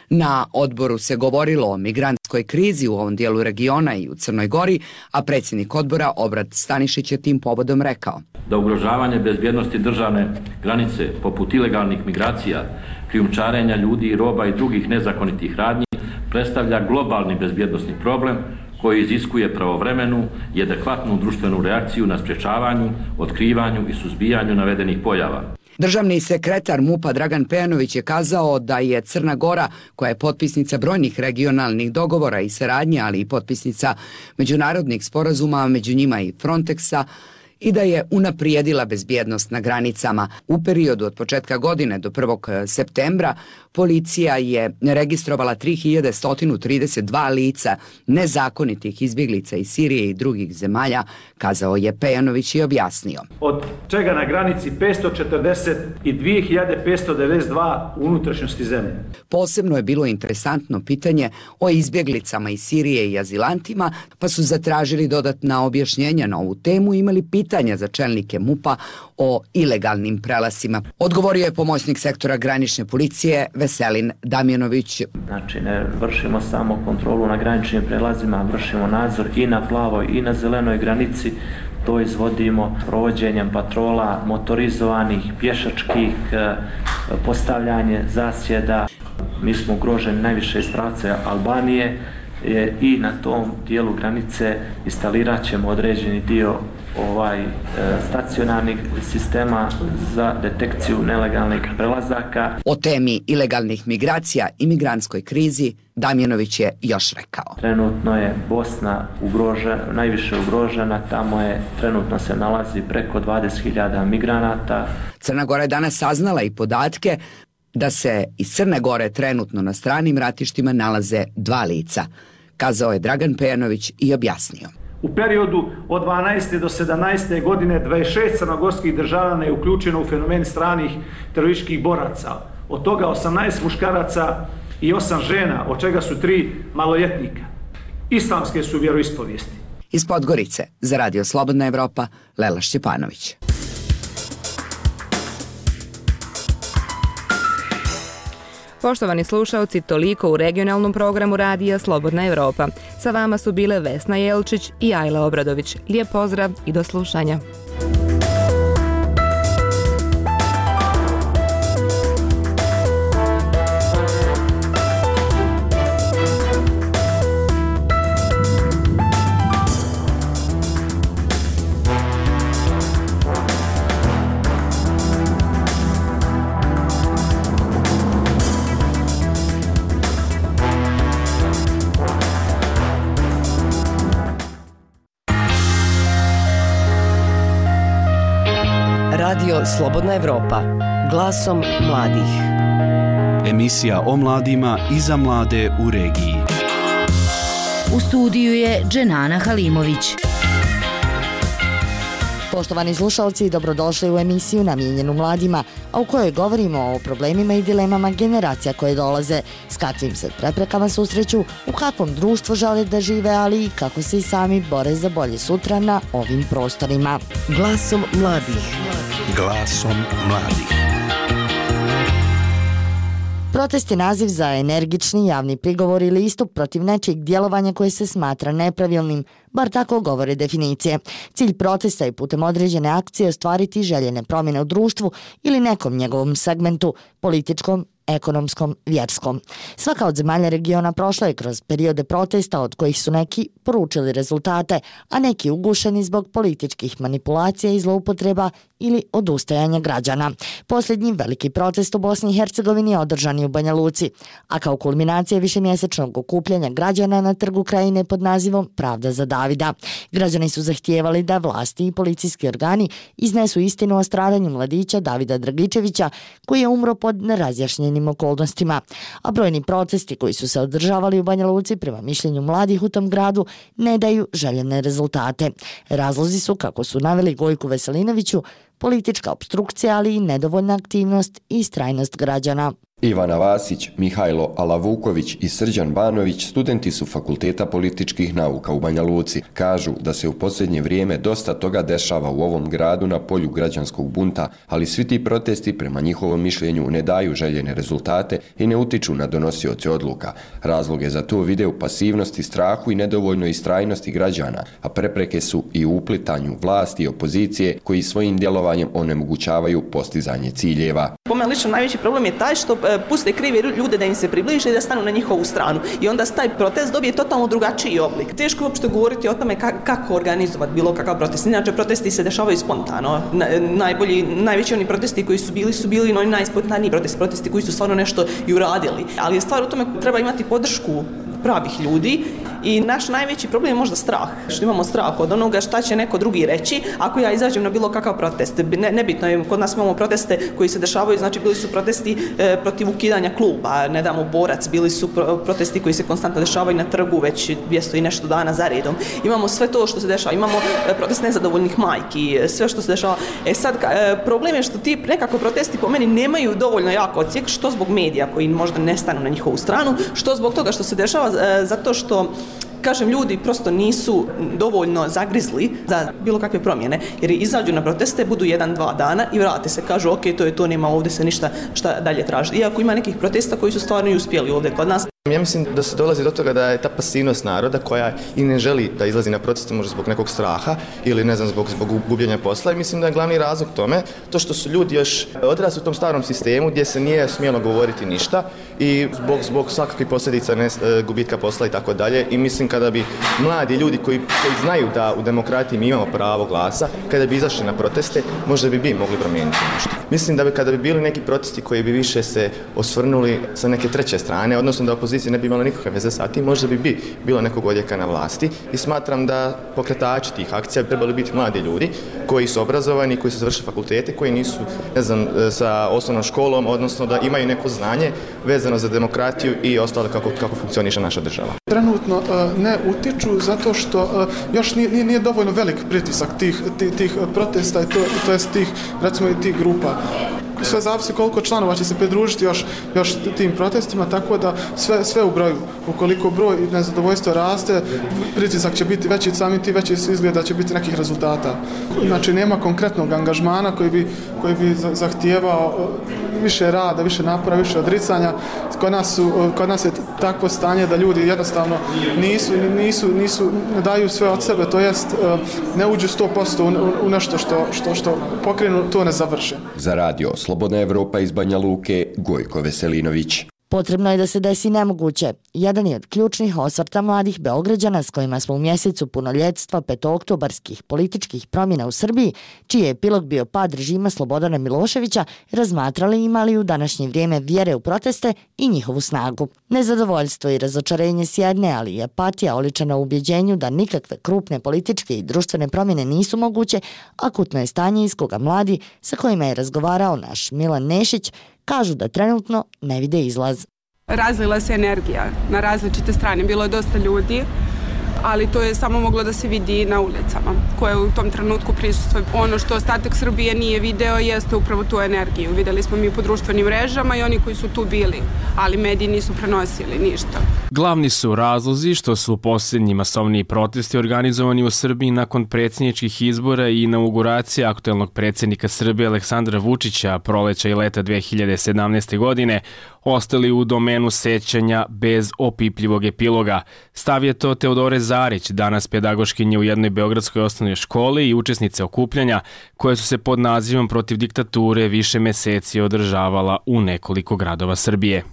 Na odboru se govorilo o migrantskoj krizi u ovom dijelu regiona i u Crnoj Gori, a predsjednik odbora Obrad Stanišić je tim povodom rekao da ugrožavanje bezbjednosti državne granice poput ilegalnih migracija, krijumčarenja ljudi i roba i drugih nezakonitih radnji predstavlja globalni bezbjednosni problem koji iziskuje pravovremenu i adekvatnu društvenu reakciju na sprječavanju, otkrivanju i suzbijanju navedenih pojava. Državni sekretar MUP-a Dragan Pejanović je kazao da je Crna Gora, koja je potpisnica brojnih regionalnih dogovora i saradnje, ali i potpisnica međunarodnih sporazuma, među njima i Frontexa, i da je unaprijedila bezbjednost na granicama. U periodu od početka godine do prvog septembra policija je registrovala tri hiljade sto trideset dva lica nezakonitih izbjeglica iz Sirije i drugih zemalja, kazao je Pejanović i objasnio. Od čega na granici petsto četrdeset dvije hiljade petsto devedeset dva u unutrašnjosti zemlje. Posebno je bilo interesantno pitanje o izbjeglicama iz Sirije i azilantima, pa su zatražili dodatna objašnjenja na ovu temu i imali pitanja za čelnike MUP-a o ilegalnim prelasima. Odgovorio je pomoćnik sektora granične policije Veselin Damjanović. Znači, ne vršimo samo kontrolu na graničnim prelazima, vršimo nadzor i na plavoj i na zelenoj granici. To izvodimo provođenjem patrola motorizovanih, pješačkih, postavljanje zasjeda. Mi smo ugroženi najviše iz pravca Albanije i na tom dijelu granice instalirat ćemo određeni dio ovaj stacionarnih sistema za detekciju nelegalnih prelazaka. O temi ilegalnih migracija i migrantskoj krizi Damjanović je još rekao. Trenutno je Bosna ugrožena, najviše ugrožena, tamo je trenutno se nalazi preko dvadeset hiljada migranata. Crna Gora je danas saznala i podatke da se iz Crne Gore trenutno na stranim ratištima nalaze dva lica, kazao je Dragan Pejanović i objasnio. U periodu od dvanaeste do sedamnaeste godine dvadeset šest crnogorskih državljana je uključeno u fenomen stranih terorističkih boraca. Od toga osamnaest muškaraca i osam žena, od čega su tri maloljetnika. Islamske su vjeroispovijesti. Iz Podgorice, za Radio Slobodna Evropa, Lela Šćepanović. Poštovani slušaoci, toliko u regionalnom programu Radija Slobodna Evropa. Sa vama su bile Vesna Jelčić i Ajla Obradović. Lijep pozdrav i do slušanja. Radio Slobodna Evropa. Glasom mladih. Emisija o mladima i za mlade u regiji. U studiju je Dženana Halimović. Poštovani slušalci, dobrodošli u emisiju namijenjenu mladima, a u kojoj govorimo o problemima i dilemama generacija koje dolaze, s kakvim se preprekama susreću, u kakvom društvu žele da žive, ali i kako se i sami bore za bolje sutra na ovim prostorima. Glasom mladih. Glasom mladih. Protest je naziv za energični javni prigovor ili istup protiv nečijeg djelovanja koje se smatra nepravilnim, bar tako govore definicije. Cilj protesta je putem određene akcije ostvariti željene promjene u društvu ili nekom njegovom segmentu, političkom, ekonomskom, vjerskom. Svaka od zemalja regiona prošla je kroz periode protesta od kojih su neki poručili rezultate, a neki ugušeni zbog političkih manipulacija i zloupotreba ili odustajanja građana. Posljednji veliki protest u Bosni i Hercegovini je održan u Banja Luci, a kao kulminacija višemjesečnog okupljanja građana na trgu Krajine pod nazivom Pravda za Davida. Građani su zahtijevali da vlasti i policijski organi iznesu istinu o stradanju mladića Davida Dragičevića, koji je umro pod nerazjašnjenim okolnostima. A brojni protesti koji su se održavali u Banja Luci prema mišljenju mladih u tom gradu ne daju željene rezultate. Razlozi su, kako su naveli Gojku Veselinoviću, politička opstrukcija, ali i nedovoljna aktivnost i istrajnost građana. Ivana Vasić, Mihajlo Alavuković i Srđan Banović studenti su Fakulteta političkih nauka u Banja Luci. Kažu da se u posljednje vrijeme dosta toga dešava u ovom gradu na polju građanskog bunta, ali svi ti protesti prema njihovom mišljenju ne daju željene rezultate i ne utiču na donosioce odluka. Razloge za to vide u pasivnosti, strahu i nedovoljnoj istrajnosti građana, a prepreke su i u uplitanju vlasti i opozicije koji svojim djelovanjem onemogućavaju postizanje ciljeva. Po meni lično najveći problem je taj što puste krive ljude da im se približe i da stanu na njihovu stranu. I onda taj protest dobije totalno drugačiji oblik. Teško je uopšte govoriti o tome kako organizovati bilo kakav protest. Inače, protesti se dešavaju spontano. Najbolji, najveći oni protesti koji su bili su bili oni najspontaniji protesti, protesti koji su stvarno nešto i uradili. Ali je stvar u tome treba imati podršku pravih ljudi i naš najveći problem je možda strah. Što imamo strah od onoga šta će neko drugi reći ako ja izađem na bilo kakav protest. Ne, nebitno je, kod nas imamo proteste koji se dešavaju, znači bili su protesti e, protiv ukidanja kluba, ne damo borac, bili su pro, protesti koji se konstantno dešavaju na trgu već dvjesto i nešto dana za redom. Imamo sve to što se dešava, imamo e, protest nezadovoljnih majki, sve što se dešava. E sad, e, problem je što ti nekako protesti po meni nemaju dovoljno jako odsjek, što zbog medija koji možda ne stanu na njihovu stranu, što zbog toga što se dešava e, zato što kažem, ljudi prosto nisu dovoljno zagrizli za bilo kakve promjene, jer izađu na proteste, budu jedan, dva dana i vrate se, kažu ok, to je to, nema ovdje se ništa šta dalje traži. Iako ima nekih protesta koji su stvarno i uspjeli ovdje kod nas. Ja mislim da se dolazi do toga da je ta pasivnost naroda koja i ne želi da izlazi na proteste možda zbog nekog straha ili ne znam zbog, zbog gubljenja posla i mislim da je glavni razlog tome to što su ljudi još odrasli u tom starom sistemu gdje se nije smjelo govoriti ništa i zbog, zbog svakakvih posljedica ne, gubitka posla i tako dalje i mislim kada bi mladi ljudi koji, koji znaju da u demokratiji mi imamo pravo glasa, kada bi izašli na proteste, možda bi bi mogli promijeniti nešto. Mislim da bi kada bi bili neki protesti koji bi više se osvrnuli sa neke treće strane, odnosno da opozicija ne bi imala nikakve veze sa tim, možda bi, bi bilo nekog odjeka na vlasti i smatram da pokretači tih akcija bi trebali biti mladi ljudi koji su obrazovani, koji su završili fakultete, koji nisu, ne znam, sa osnovnom školom, odnosno da imaju neko znanje vezano za demokratiju i ostalo kako, kako funkcioniše naša država. Trenutno uh, ne utiču zato što uh, još nije, nije dovoljno velik pritisak tih, tih, tih protesta i to, to jest tih, recimo i tih grupa. Sve zavisi koliko članova će se pridružiti još, još tim protestima, tako da sve, sve u broju. Ukoliko broj i nezadovoljstvo raste, pritisak će biti veći, sami ti veći izgleda da će biti nekih rezultata. Znači nema konkretnog angažmana koji bi, koji bi zahtijevao više rada, više napora, više odricanja. Kod nas, su, kod nas je takvo stanje da ljudi jednostavno nisu, nisu, nisu, ne daju sve od sebe, to jest ne uđu sto posto u, u nešto što, što, što pokrenu, to ne završe. Za radio Slobodna Evropa iz Banja Luke, Gojko Veselinović. Potrebno je da se desi nemoguće, jedan je od ključnih osvrta mladih Beograđana s kojima smo u mjesecu punoljetstva petooktobarskih političkih promjena u Srbiji, čiji je epilog bio pad režima Slobodana Miloševića, razmatrali imali u današnje vrijeme vjere u proteste i njihovu snagu. Nezadovoljstvo i razočarenje s jedne, ali i apatija oličena u ubjeđenju da nikakve krupne političke i društvene promjene nisu moguće, akutno je stanje iz koga mladi, sa kojima je razgovarao naš Milan Nešić, kažu da trenutno ne vide izlaz. Razlila se energija na različite strane, bilo je dosta ljudi, ali to je samo moglo da se vidi na ulicama koje u tom trenutku prisustvuju. Ono što ostatak Srbije nije video jeste upravo tu energiju. Videli smo mi po društvenim mrežama i oni koji su tu bili, ali mediji nisu prenosili ništa. Glavni su razlozi što su posljednji masovniji protesti organizovani u Srbiji nakon predsjedničkih izbora i inauguracije aktuelnog predsjednika Srbije Aleksandra Vučića proleća i leta dve hiljade sedamnaeste. godine ostali u domenu sećanja bez opipljivog epiloga. Stav je to Teodore Zarić, danas pedagoškinje u jednoj beogradskoj osnovnoj školi i učesnice okupljanja koje su se pod nazivom protiv diktature više meseci održavala u nekoliko gradova Srbije.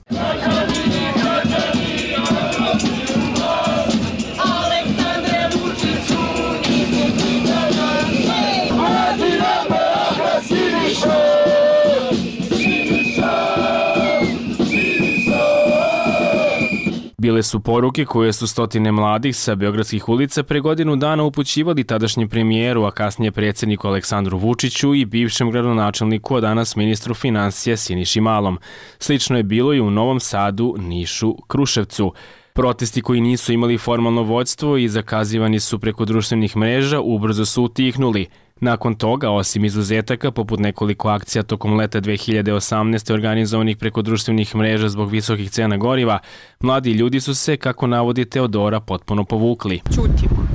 Bile su poruke koje su stotine mladih sa beogradskih ulica pre godinu dana upućivali tadašnjem premijeru, a kasnije predsjedniku Aleksandru Vučiću i bivšem gradonačelniku, a danas ministru financija Siniši Malom. Slično je bilo i u Novom Sadu, Nišu, Kruševcu. Protesti koji nisu imali formalno vođstvo i zakazivani su preko društvenih mreža ubrzo su utihnuli. Nakon toga, osim izuzetaka, poput nekoliko akcija tokom leta dve hiljade osamnaeste. organizovanih preko društvenih mreža zbog visokih cena goriva, mladi ljudi su se, kako navodi Teodora, potpuno povukli. Ćutimo.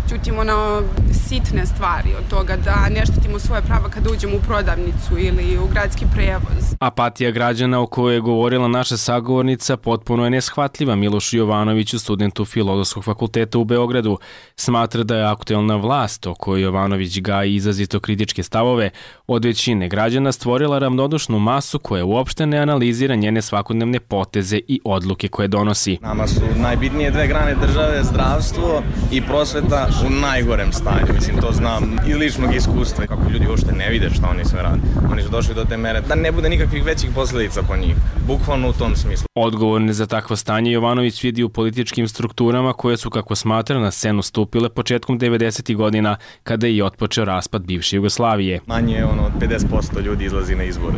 Ćutimo na sitne stvari od toga da ne štitimo svoje prava kada uđemo u prodavnicu ili u gradski prevoz. Apatija građana o kojoj je govorila naša sagovornica potpuno je neshvatljiva Milošu Jovanoviću, studentu Filozofskog fakulteta u Beogradu. Smatra da je aktuelna vlast, o kojoj Jovanović gaji izrazito kritičke stavove, od većine građana stvorila ravnodušnu masu koja uopšte ne analizira njene svakodnevne poteze i odluke koje donosi. Nama su najbitnije dve grane države, zdravstvo i prosveta, u najgorem stanju, mislim, to znam iz ličnog iskustva. Kako ljudi uopšte ne vide šta oni sve rade. Oni su došli do te mere da ne bude nikakvih većih posljedica po njih. Bukvalno u tom smislu. Odgovorne za takvo stanje Jovanović vidi u političkim strukturama koje su, kako smatra, na scenu stupile početkom devedesetih godina, kada je i otpočeo raspad bivše Jugoslavije. Manje ono, od pedeset posto ljudi izlazi na izbore.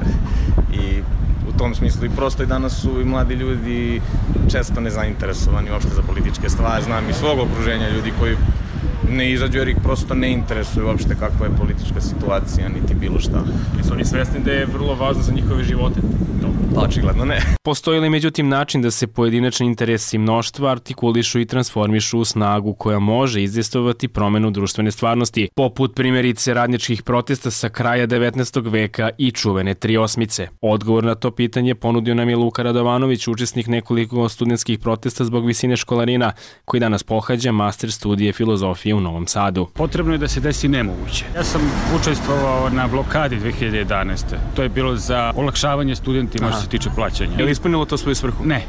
I u tom smislu i prosto i danas su i mladi ljudi često nezainteresovani uopšte za političke stvari. Znam iz svog okruženja ljudi koji ne izađu jer ih prosto ne interesuju uopšte kakva je politička situacija, niti bilo šta. Jesu oni svesni da je vrlo važno za njihove živote? Pa očigledno ne. Postoji li međutim način da se pojedinačni interesi mnoštva artikulišu i transformišu u snagu koja može izdejstvovati promenu društvene stvarnosti, poput primjerice radničkih protesta sa kraja devetnaestog veka i čuvene tri osmice? Odgovor na to pitanje ponudio nam je Luka Radovanović, učesnik nekoliko studentskih protesta zbog visine školarina, koji danas pohađa master studije filozofije u Novom Sadu. Potrebno je da se desi nemoguće. Ja sam učestvovao na blokadi dve hiljade jedanaeste. To je bilo za olakšavanje studentima što se tiče plaćanja. Je li ispunilo to svoju svrhu? Ne.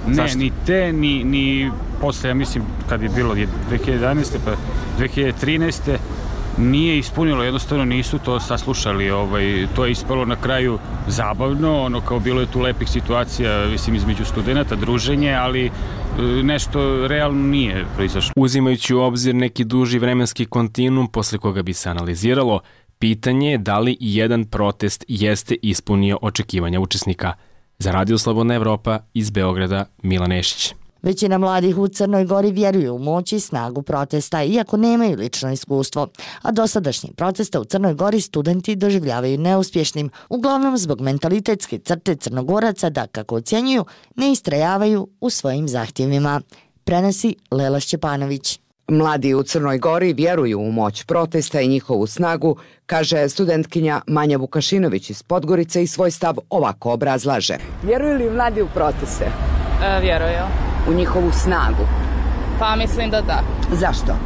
Ne, Zašto? ni te, ni, ni posle, ja mislim, kad je bilo dve hiljade jedanaeste pa dve hiljade trinaeste. nije ispunilo, jednostavno nisu to saslušali, ovaj, to je ispalo na kraju zabavno, ono kao bilo je tu lepih situacija, mislim, između studenta, druženje, ali nešto realno nije proizašlo. Uzimajući u obzir neki duži vremenski kontinuum posle koga bi se analiziralo, pitanje je da li i jedan protest jeste ispunio očekivanja učesnika. Za Radio Slobodna Evropa iz Beograda, Milan Nešić. Većina mladih u Crnoj Gori vjeruje u moć i snagu protesta, iako nemaju lično iskustvo. A dosadašnji protesta u Crnoj Gori studenti doživljavaju neuspješnim, uglavnom zbog mentalitetske crte Crnogoraca da, kako ocjenjuju, ne istrajavaju u svojim zahtjevima. Prenosi Lela Šćepanović. Mladi u Crnoj Gori vjeruju u moć protesta i njihovu snagu, kaže studentkinja Manja Vukašinović iz Podgorice i svoj stav ovako obrazlaže. Vjeruju li mladi u proteste? E, vjeruju. U njihovu snagu? Pa mislim da da. Zašto?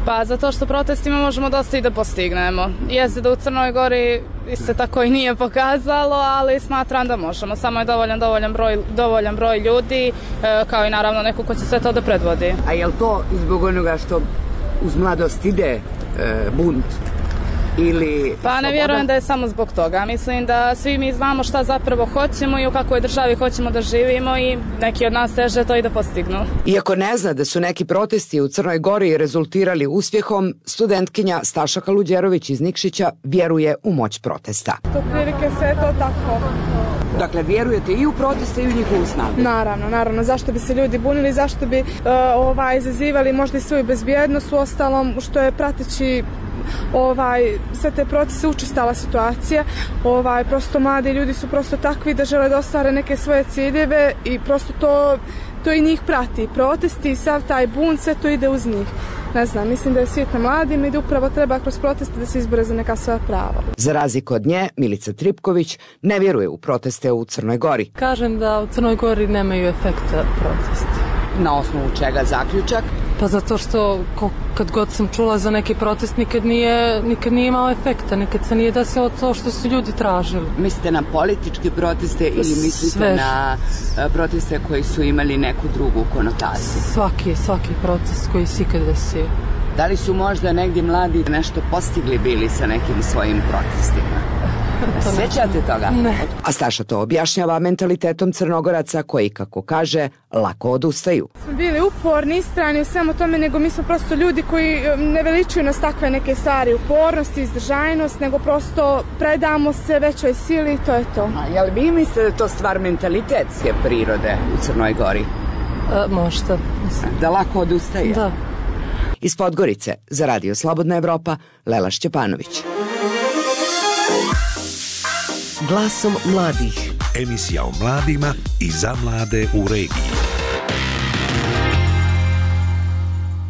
Pa zato što protestima možemo dosta i da postignemo. Jeste da u Crnoj Gori se tako i nije pokazalo, ali smatram da možemo. Samo je dovoljan, dovoljan, broj, dovoljan broj ljudi, kao i naravno neko ko će sve to da predvodi. A je li to zbog onoga što uz mladost ide e, bunt? Ili pa ne vjerujem da je samo zbog toga. Mislim da svi mi znamo šta zapravo hoćemo i u kakvoj državi hoćemo da živimo i neki od nas teže to i da postignu. Iako ne zna da su neki protesti u Crnoj Gori rezultirali uspjehom, studentkinja Staša Kaluđerović iz Nikšića vjeruje u moć protesta. To prilike sve je to tako. Dakle, vjerujete i u proteste i u njihovu snagu? Naravno, naravno. Zašto bi se ljudi bunili, zašto bi uh, ovaj, izazivali možda i svoju bezbjednost u ostalom, što je prateći ovaj, sve te procese učestala situacija. Ovaj, prosto mladi ljudi su prosto takvi da žele da ostvare neke svoje ciljeve i prosto to, to i njih prati. Protesti i sav taj bunt, sve to ide uz njih. Ne znam, mislim da je svijet na mladim i da upravo treba kroz proteste da se izbore za neka svoja prava. Za razliku od nje, Milica Tripković ne vjeruje u proteste u Crnoj Gori. Kažem da u Crnoj Gori nemaju efekta protesti. Na osnovu čega zaključak? Pa zato što kad god sam čula za neki protest nikad nije, nikad nije imao efekta, nikad se nije desilo to što su ljudi tražili. Mislite na političke proteste ili mislite Sve. na proteste koji su imali neku drugu konotaciju? Svaki, svaki protest koji se ikad desio. Da li su možda negdje mladi nešto postigli bili sa nekim svojim protestima? Sjećate toga? Ne. A Staša to objašnjava mentalitetom Crnogoraca koji, kako kaže, lako odustaju. Smo bili uporni, istrajni u svemu tome, nego mi smo prosto ljudi koji ne veličuju nas takve neke stvari, upornost i izdržajnost, nego prosto predamo se većoj sili i to je to. A jel vi mislite da je to stvar mentalitetske prirode u Crnoj Gori? A, možda. Mislim. Da lako odustaje? Da. Iz Podgorice, za Radio Slobodna Evropa, Lela Šćepanović. Glasom mladih. Emisija o mladima i za mlade u regiji.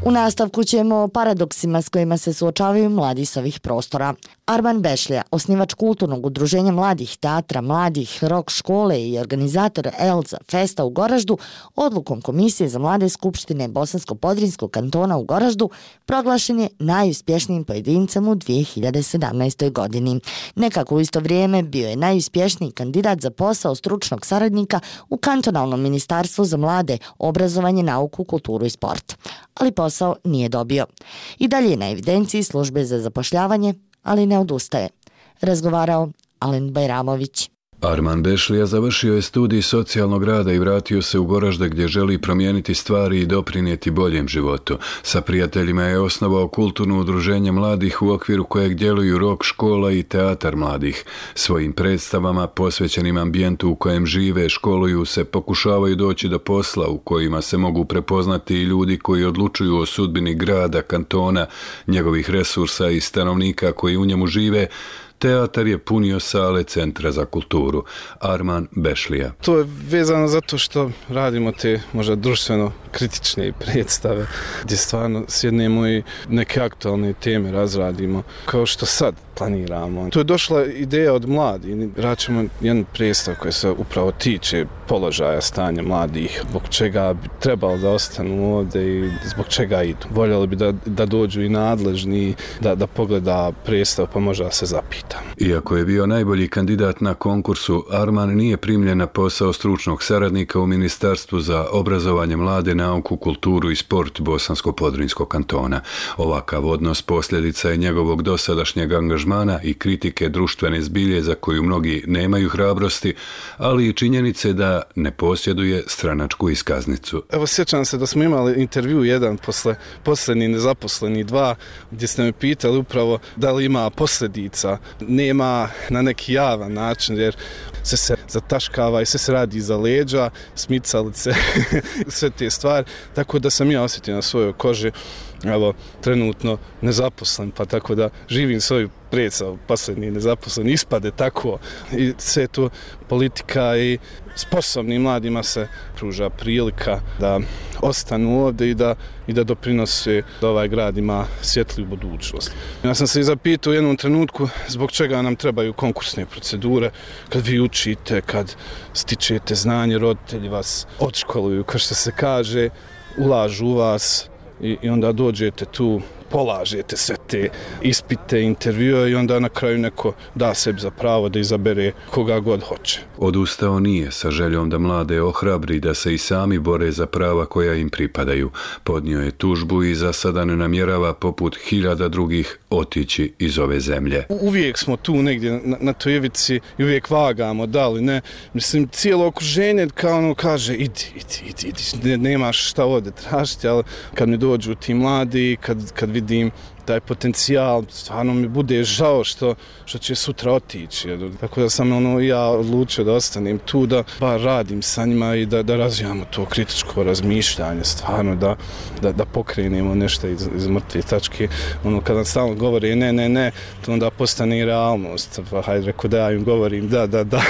U nastavku ćemo o paradoksima s kojima se suočavaju mladi s ovih prostora. Arman Bešlija, osnivač kulturnog udruženja mladih, teatra mladih, rock škole i organizator Elza Festa u Goraždu, odlukom Komisije za mlade Skupštine Bosansko-Podrinjskog kantona u Goraždu proglašen je najuspješnijim pojedincem u dvije hiljade sedamnaestoj. godini. Nekako u isto vrijeme bio je najuspješniji kandidat za posao stručnog saradnika u kantonalnom ministarstvu za mlade, obrazovanje, nauku, kulturu i sport. Ali posao nije dobio. I dalje je na evidenciji službe za zapošljavanje, ali ne odustaje. Razgovarao Alen Bajramović. Arman Bešlija završio je studij socijalnog rada i vratio se u Goražde gdje želi promijeniti stvari i doprinijeti boljem životu. Sa prijateljima je osnovao kulturno udruženje mladih u okviru kojeg djeluju rock škola i teatar mladih. Svojim predstavama posvećenim ambijentu u kojem žive, školuju se, pokušavaju doći do posla u kojima se mogu prepoznati i ljudi koji odlučuju o sudbini grada, kantona, njegovih resursa i stanovnika koji u njemu žive. Teatar je punio sale Centra za kulturu. Arman Bešlija. To je vezano zato što radimo te možda društveno kritične predstave gdje stvarno sjednemo i neke aktualne teme razradimo kao što sad planiramo. Tu je došla ideja od mladih. Raćemo jedan predstav koji se upravo tiče položaja stanja mladih, zbog čega bi trebalo da ostanu ovdje i zbog čega idu. Voljeli bi da, da dođu i nadležni, da, da pogleda predstav pa možda se zapita. Iako je bio najbolji kandidat na konkursu, Arman nije primljen na posao stručnog saradnika u Ministarstvu za obrazovanje, mlade, nauku, kulturu i sport Bosansko-Podrinjskog kantona. Ovakav odnos posljedica je njegovog dosadašnjeg angažmana i kritike društvene zbilje za koju mnogi nemaju hrabrosti, ali i činjenice da ne posjeduje stranačku iskaznicu. Evo, sjećam se da smo imali intervju jedan posle posljednji nezaposleni dva, gdje ste me pitali upravo da li ima posljedica. Nema na neki javan način, jer sve se zataškava i sve se radi iza leđa, smicalice, sve te stvari, tako da sam ja osjetio na svojoj koži, evo, trenutno nezaposlen, pa tako da živim svoju predstavu, posljednji nezaposlen, ispade tako i sve to politika i sposobnim mladima se pruža prilika da ostanu ovdje i da, i da doprinose da ovaj grad ima svjetliju budućnost. Ja sam se i zapitao u jednom trenutku zbog čega nam trebaju konkursne procedure, kad vi učite, kad stičete znanje, roditelji vas odškoluju, kao što se kaže, ulažu u vas, I, i onda dođete tu polažete sve te ispite, intervjue i onda na kraju neko da sebi za pravo da izabere koga god hoće. Odustao nije sa željom da mlade ohrabri da se i sami bore za prava koja im pripadaju. Podnio je tužbu i za sada ne namjerava poput hiljada drugih otići iz ove zemlje. Uvijek smo tu negdje na, na toj ivici i uvijek vagamo, da li ne. Mislim, cijelo okruženje kao ono kaže idi, idi, idi, idi. Ne, nemaš šta ovdje tražiti, ali kad mi dođu ti mladi, kad, kad vidim taj potencijal, stvarno mi bude žao što, što će sutra otići. Tako da sam ono, ja odlučio da ostanem tu, da bar radim sa njima i da, da razvijamo to kritičko razmišljanje, stvarno da, da, da pokrenemo nešto iz, iz mrtve tačke. Ono, kada stalno govori ne, ne, ne, to onda postane i realnost. Pa hajde, reko da ja im govorim da, da, da,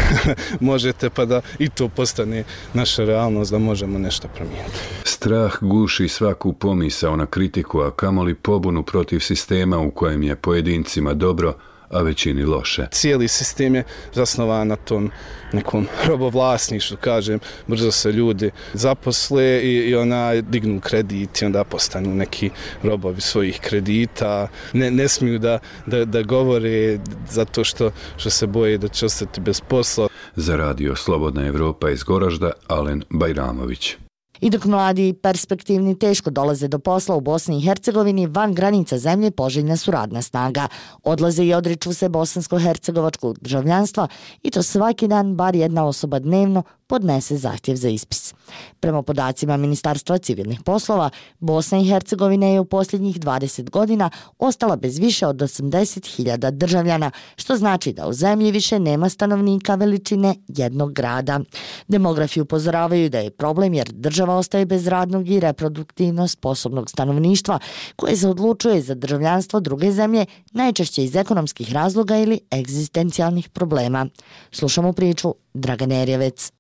možete, pa da i to postane naša realnost, da možemo nešto promijeniti. Strah guši svaku pomisao na kritiku, a kamoli pobunu protiv sistema u kojem je pojedincima dobro, a većini loše. Cijeli sistem je zasnovan na tom nekom robovlasništvu, kažem, brzo se ljudi zaposle i, i ona dignu kredit i onda postanu neki robovi svojih kredita. Ne, ne smiju da, da, da govore zato što, što se boje da će ostati bez posla. Za radio Slobodna Evropa iz Goražda, Alen Bajramović. I dok mladi i perspektivni teško dolaze do posla u Bosni i Hercegovini, van granica zemlje poželjna su radna snaga. Odlaze i odriču se bosansko-hercegovačkog državljanstva i to svaki dan bar jedna osoba dnevno podnese zahtjev za ispis. Prema podacima Ministarstva civilnih poslova, Bosna i Hercegovina je u posljednjih dvadeset godina ostala bez više od osamdeset hiljada državljana, što znači da u zemlji više nema stanovnika veličine jednog grada. Demografi upozoravaju da je problem jer država ostaje bez radnog i reproduktivno sposobnog stanovništva koje se odlučuje za državljanstvo druge zemlje, najčešće iz ekonomskih razloga ili egzistencijalnih problema. Slušamo priču Dragane Erjevec.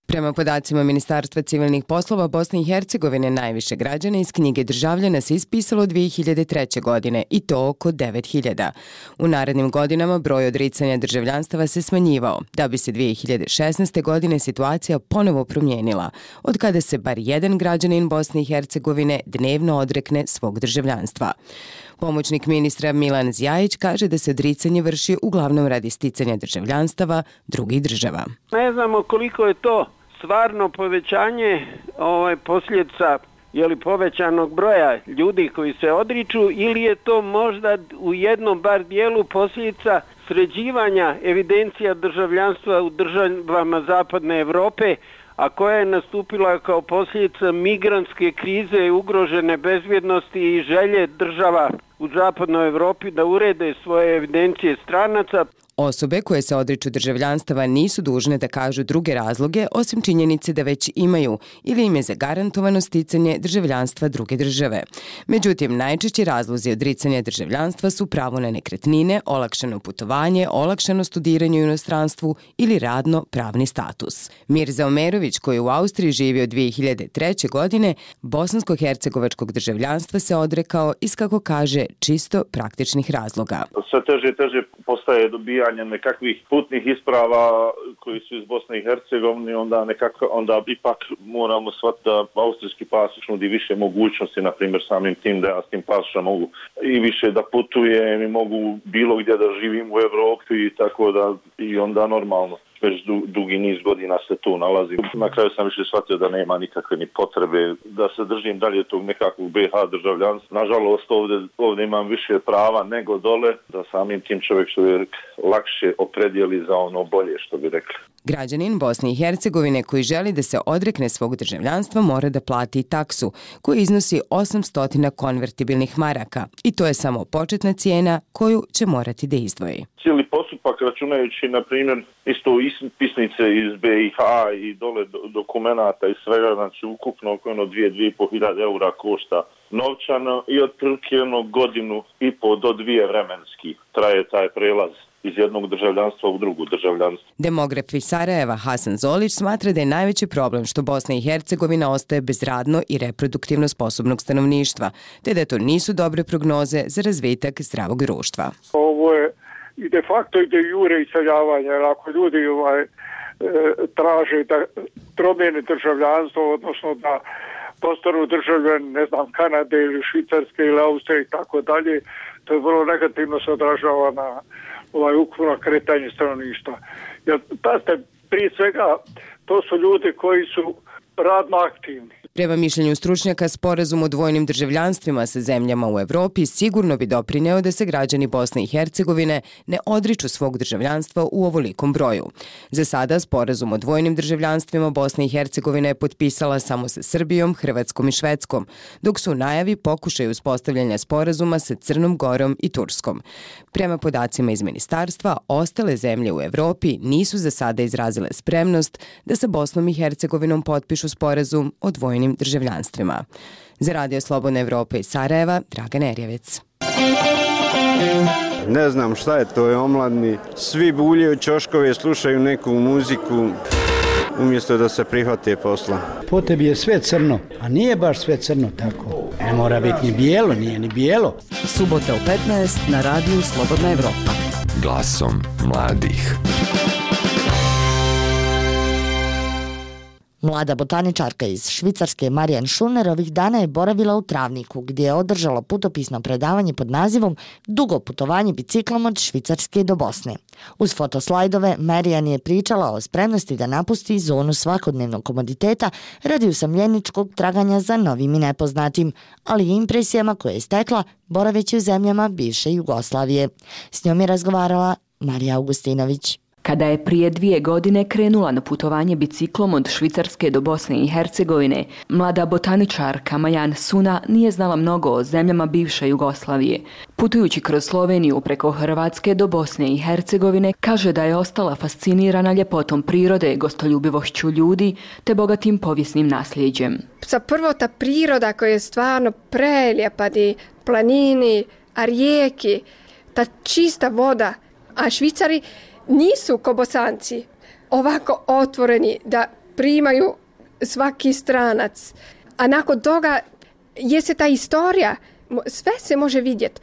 Prema podacima Ministarstva civilnih poslova Bosne i Hercegovine, najviše građana iz knjige državljana se ispisalo dvije hiljade treće. godine i to oko devet hiljada. U narednim godinama broj odricanja državljanstava se smanjivao, da bi se dvije hiljade šesnaeste. godine situacija ponovo promijenila, od kada se bar jedan građanin Bosne i Hercegovine dnevno odrekne svog državljanstva. Pomoćnik ministra Milan Zjajić kaže da se odricanje vrši uglavnom radi sticanja državljanstava drugih država. Ne znamo koliko je to stvarno povećanje ovaj, posljedica jeli, povećanog broja ljudi koji se odriču ili je to možda u jednom bar dijelu posljedica sređivanja evidencija državljanstva u državama Zapadne Evrope, a koja je nastupila kao posljedica migrantske krize, ugrožene bezbjednosti i želje država u Zapadnoj Evropi da urede svoje evidencije stranaca. Osobe koje se odriču državljanstava nisu dužne da kažu druge razloge osim činjenice da već imaju ili im je zagarantovano sticanje državljanstva druge države. Međutim, najčešći razlozi odricanja državljanstva su pravo na nekretnine, olakšano putovanje, olakšano studiranje u inostranstvu ili radno-pravni status. Mirza Omerović, koji u Austriji živi od dvije hiljade treće. godine, bosansko-hercegovačkog državljanstva se odrekao iz, kako kaže, čisto praktičnih razloga. Sve teže i teže postaje dobijanje nekakvih putnih isprava koji su iz Bosne i Hercegovine, onda nekako, onda ipak moramo shvatiti da austrijski pasoš nudi više mogućnosti, na primjer samim tim da ja s tim pasošom mogu i više da putujem i mogu bilo gdje da živim u Evropi i tako da i onda normalno. Već du, dugi niz godina se tu nalazim. Na kraju sam više shvatio da nema nikakve ni potrebe da se držim dalje tog nekakvog be ha državljanstva. Nažalost, ovdje, ovdje imam više prava nego dole, da samim tim čovjek što je lakše opredijeli za ono bolje, što bi rekli. Građanin Bosne i Hercegovine koji želi da se odrekne svog državljanstva mora da plati taksu, koja iznosi osamsto konvertibilnih maraka i to je samo početna cijena koju će morati da izdvoji. Cijeli postupak, računajući, na primjer, isto ispisnice iz be i ha i dole dokumenata i svega, znači ukupno oko ono dvije, dvije i po hiljade eura košta novčano i otprilike jedno godinu i po do dvije vremenski traje taj prelaz iz jednog državljanstva u drugu državljanstvo. Demograf iz Sarajeva Hasan Zolić smatra da je najveći problem što Bosna i Hercegovina ostaje bez radno i reproduktivno sposobnog stanovništva, te da to nisu dobre prognoze za razvitak zdravog društva. Ovo je i de facto i de jure iseljavanje, jer ako ljudi ovaj, e, traže da promijene državljanstvo, odnosno da postanu državljani, ne znam, Kanade ili Švicarske ili Austrije i tako dalje, to je vrlo negativno se odražava na ovaj ukupno kretanje stanovništva. Jer, pazite, prije svega, to su ljudi koji su radno aktivni. Prema mišljenju stručnjaka, sporazum o dvojnim državljanstvima sa zemljama u Evropi sigurno bi doprineo da se građani Bosne i Hercegovine ne odriču svog državljanstva u ovolikom broju. Za sada sporazum o dvojnim državljanstvima Bosne i Hercegovine je potpisala samo sa Srbijom, Hrvatskom i Švedskom, dok su u najavi pokušaj uspostavljanja sporazuma sa Crnom Gorom i Turskom. Prema podacima iz ministarstva, ostale zemlje u Evropi nisu za sada izrazile spremnost da sa Bosnom i Hercegovinom potpišu sporazum o dvojnim državljanstvima. Za Radio Slobodna Evropa iz Sarajeva, Draga Nerjevec. Ne znam šta je to, je omladni. Svi buljaju ćoškove, slušaju neku muziku, umjesto da se prihvate posla. Po tebi je sve crno, a nije baš sve crno tako. Ne mora biti ni bijelo, nije ni bijelo. Subota u petnaest na Radiju Slobodna Evropa. Glasom mladih. Mlada botaničarka iz Švicarske Marijan Šuner ovih dana je boravila u Travniku, gdje je održala putopisno predavanje pod nazivom Dugo putovanje biciklom od Švicarske do Bosne. Uz fotoslajdove Marijan je pričala o spremnosti da napusti zonu svakodnevnog komoditeta radi usamljeničkog traganja za novim i nepoznatim, ali i impresijama koje je stekla boraveći u zemljama bivše Jugoslavije. S njom je razgovarala Marija Augustinović. Kada je prije dvije godine krenula na putovanje biciklom od Švicarske do Bosne i Hercegovine, mlada botaničarka Majan Suna nije znala mnogo o zemljama bivše Jugoslavije. Putujući kroz Sloveniju preko Hrvatske do Bosne i Hercegovine, kaže da je ostala fascinirana ljepotom prirode, gostoljubivošću ljudi te bogatim povijesnim nasljeđem. Sa prvo ta priroda koja je stvarno prelijepa, di planini, a rijeki, ta čista voda, a Švicari nisu ko Bosanci ovako otvoreni da primaju svaki stranac. A nakon toga je se ta historija, sve se može vidjeti.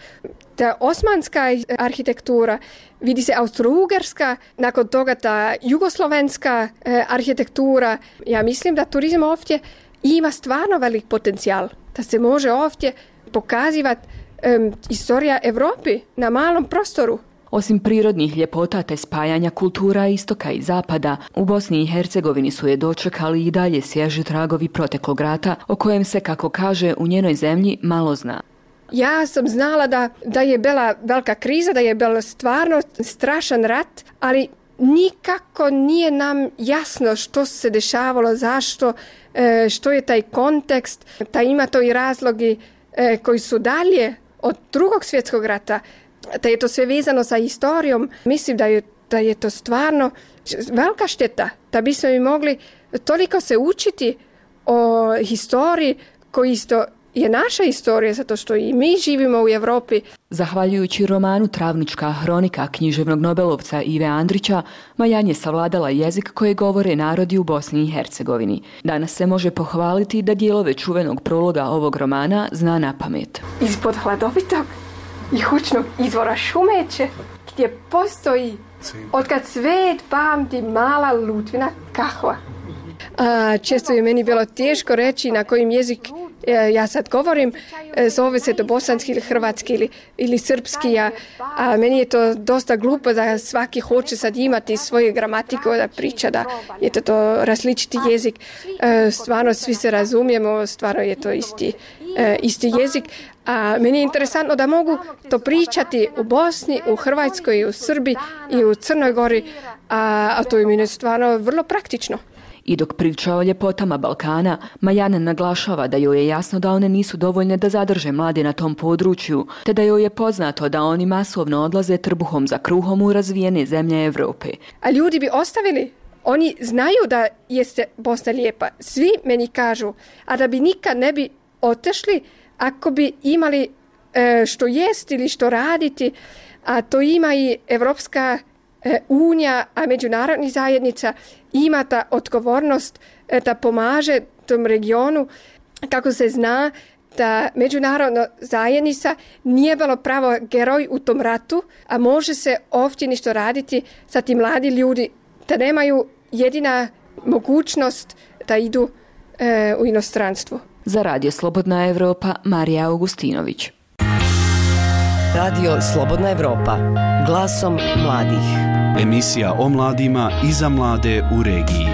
Ta osmanska arhitektura, vidi se austro-ugarska, nakon toga ta jugoslovenska eh, arhitektura. Ja mislim da turizam ovdje ima stvarno velik potencijal, da se može ovdje pokazivati eh, historija Evropi na malom prostoru. Osim prirodnih ljepota te spajanja kultura istoka i zapada, u Bosni i Hercegovini su je dočekali i dalje svježi tragovi proteklog rata, o kojem se, kako kaže, u njenoj zemlji malo zna. Ja sam znala da, da je bila velika kriza, da je bilo stvarno strašan rat, ali nikako nije nam jasno što se dešavalo, zašto, što je taj kontekst, da ima to i razlogi koji su dalje od drugog svjetskog rata, da je to sve vezano sa historijom. Mislim da je, da je to stvarno velika šteta, da bismo mi mogli toliko se učiti o historiji koji isto je naša historija, zato što i mi živimo u Evropi. Zahvaljujući romanu Travnička hronika književnog nobelovca Ive Andrića, Majan je savladala jezik koje govore narodi u Bosni i Hercegovini. Danas se može pohvaliti da dijelove čuvenog prologa ovog romana zna na pamet. Ispod hladovitog i hučnog izvora Šumeće, gdje postoji otkad svet pamti mala Lutvina kahva. A, često je meni bilo teško reći na kojim jezik e, ja sad govorim, e, zove se to bosanski ili hrvatski ili, ili srpski, a, a meni je to dosta glupo da svaki hoće sad imati svoju gramatiku da priča, da je to, to različiti jezik. E, stvarno svi se razumijemo, stvarno je to isti, e, isti jezik. A meni je interesantno da mogu to pričati u Bosni, u Hrvatskoj, u Srbiji i u Crnoj Gori, a, a to je meni stvarno vrlo praktično. I dok priča o ljepotama Balkana, Majan naglašava da joj je jasno da one nisu dovoljne da zadrže mlade na tom području, te da joj je poznato da oni masovno odlaze trbuhom za kruhom u razvijene zemlje Evrope. A ljudi bi ostavili. Oni znaju da jeste Bosna lijepa. Svi meni kažu, a da bi nikad ne bi otešli ako bi imali e, što jesti ili što raditi, a to ima i Evropska e, unija, a međunarodna zajednica ima ta odgovornost e, da pomaže tom regionu. Kako se zna da međunarodna zajednica nije bilo pravo geroj u tom ratu, a može se ovdje nešto raditi sa tim mladi ljudi, da nemaju jedina mogućnost da idu e, u inostranstvo. Za Radio Slobodna Evropa, Marija Augustinović. Radio Slobodna Evropa, glasom mladih. Emisija o mladima i za mlade u regiji.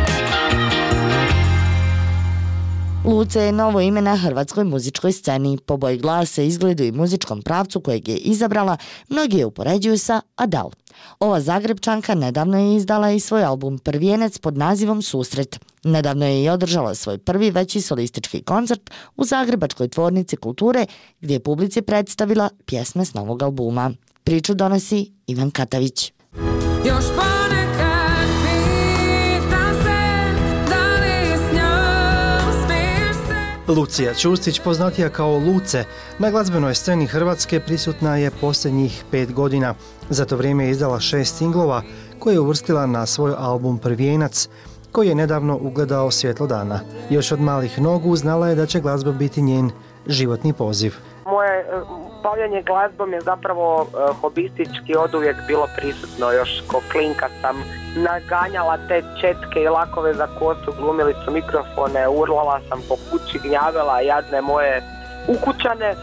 Luce je novo ime na hrvatskoj muzičkoj sceni. Po boji glasa, izgledu i muzičkom pravcu kojeg je izabrala, mnogi je upoređuju sa Adele. Ova Zagrebčanka nedavno je izdala i svoj album Prvijenac pod nazivom Susret. Nedavno je i održala svoj prvi veći solistički koncert u Zagrebačkoj tvornici kulture, gdje je publici predstavila pjesme s novog albuma. Priču donosi Ivan Katavić. Još ponekad pitam se da li s njom smiješ se. Lucija Čustić, poznatija kao Luce, na glazbenoj sceni Hrvatske prisutna je posljednjih pet godina. Za to vrijeme je izdala šest singlova koje je uvrstila na svoj album Prvijenac, koji je nedavno ugledao svjetlo dana. Još od malih nogu znala je da će glazba biti njen životni poziv. Moje bavljanje glazbom je zapravo uh, hobistički oduvijek bilo prisutno. Još ko klinka sam naganjala te četke i lakove za kosu, glumili su mikrofone, urlala sam po kući, gnjavila jadne moje ukućane,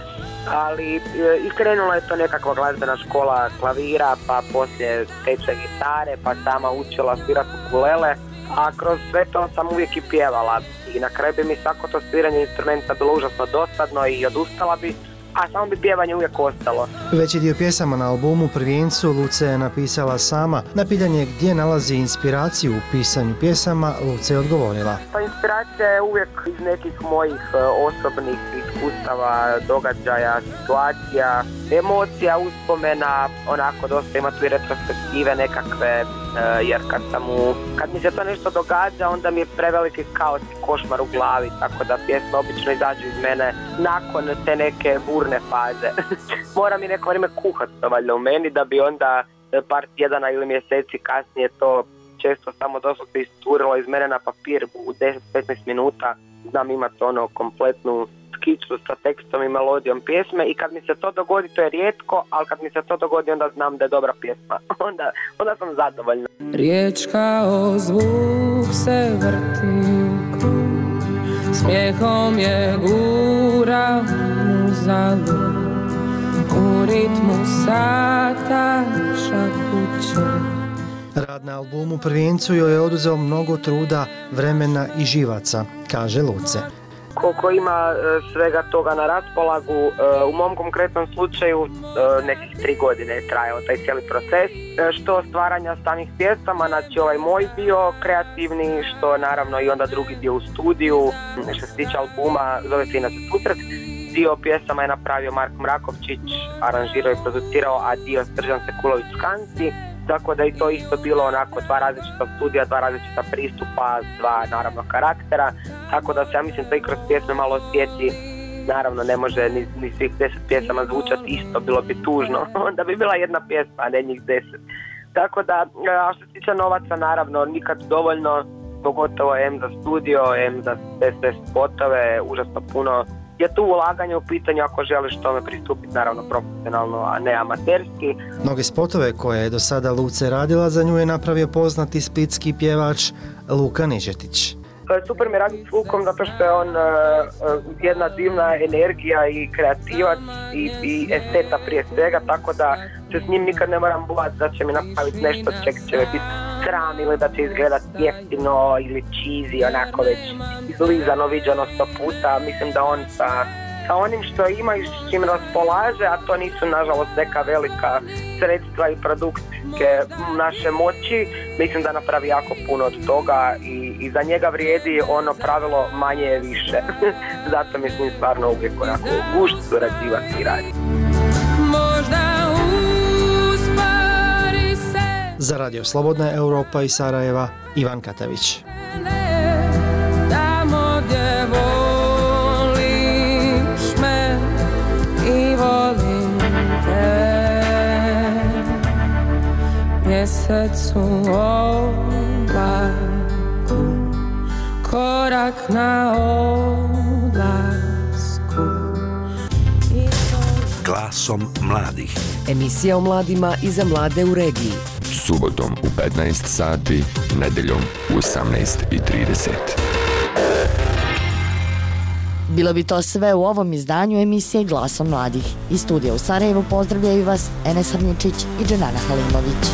ali uh, i krenula je to nekakva glazbena škola klavira, pa poslije tečaj gitare, pa sama učila svirati ukulele, a kroz sve to sam uvijek i pjevala. I na kraju bi mi svako to sviranje instrumenta bilo užasno dosadno i odustala bi, a samo bi pjevanje uvijek ostalo. Veći dio pjesama na albumu Prvijencu Luce je napisala sama. Na pitanje gdje nalazi inspiraciju u pisanju pjesama, Luce je odgovorila. Pa inspiracija je uvijek iz nekih mojih osobnih iskustava, događaja, situacija, emocija, uspomena, onako dosta ima tu i retrospektive nekakve, jer kad sam u, kad mi se to nešto događa, onda mi je preveliki kaos i košmar u glavi, tako da pjesme obično izađu iz mene nakon te neke burne faze. Mora mi neko vrijeme kuhati to valjda u meni, da bi onda par tjedana ili mjeseci kasnije to često samo doslovno isturilo iz mene na papir u deset do petnaest minuta. Znam imati ono kompletnu skicu sa tekstom i melodijom pjesme i kad mi se to dogodi, to je rijetko, ali kad mi se to dogodi onda znam da je dobra pjesma. Onda, onda sam zadovoljna. Riječ kao zvuk se vrti u krug, smijehom je gura uzalud, u ritmu sata šapuće. Rad na albumu Prvijencu joj je oduzeo mnogo truda, vremena i živaca, kaže Luce. Koliko ima svega toga na raspolagu, u mom konkretnom slučaju nekih tri godine je trajao taj cijeli proces, što stvaranja samih pjesama, znači ovaj moj dio kreativni, što naravno i onda drugi dio u studiju, što se tiče albuma zove se Inače Susret. Dio pjesama je napravio Marko Mrakovčić, aranžirao i producirao, a dio Srđan Sekulović-Skansi. Tako da i to isto bilo onako dva različita studija, dva različita pristupa, dva naravno karaktera, tako da se ja mislim to i kroz pjesme malo osjeti. Naravno ne može ni, ni svih deset pjesama zvučati isto, bilo bi tužno, onda bi bila jedna pjesma, a ne njih deset. Tako da, a što se tiče novaca, naravno nikad dovoljno, pogotovo M za studio, M za sve spotove, užasno puno je tu ulaganje u pitanju ako želiš tome pristupiti naravno profesionalno, a ne amaterski. Mnoge spotove koje je do sada Luce radila za nju je napravio poznati splitski pjevač Luka Nižetić. Super mi radi s Lukom zato što je on uh, jedna divna energija i kreativac i, i esteta prije svega, tako da se s njim nikad ne moram bojati da će mi napraviti nešto čeg će mi biti sram ili da će izgledati jeftino ili cheesy, onako već izlizano, viđano sto puta. Mislim da on sa, sa onim što ima i s čim raspolaže, a to nisu nažalost neka velika sredstva i produkcijske naše moći, mislim da napravi jako puno od toga i, i za njega vrijedi ono pravilo manje je više. Zato mislim stvarno uvijek onako gušt surađivati i raditi. Za Radio Slobodna Evropa iz Sarajeva, Ivan Katavić. Tamo gdje voliš me i volim te, mjesecu oblaku, korak na odlasku. Glasom mladih. Emisija o mladima i za mlade u regiji. Subotom u petnaest sati, nedeljom u osamnaest i trideset. Bilo bi to sve u ovom izdanju emisije Glasom mladih. Iz studija u Sarajevu pozdravljaju vas Enes Arničić i Dženana Halimović.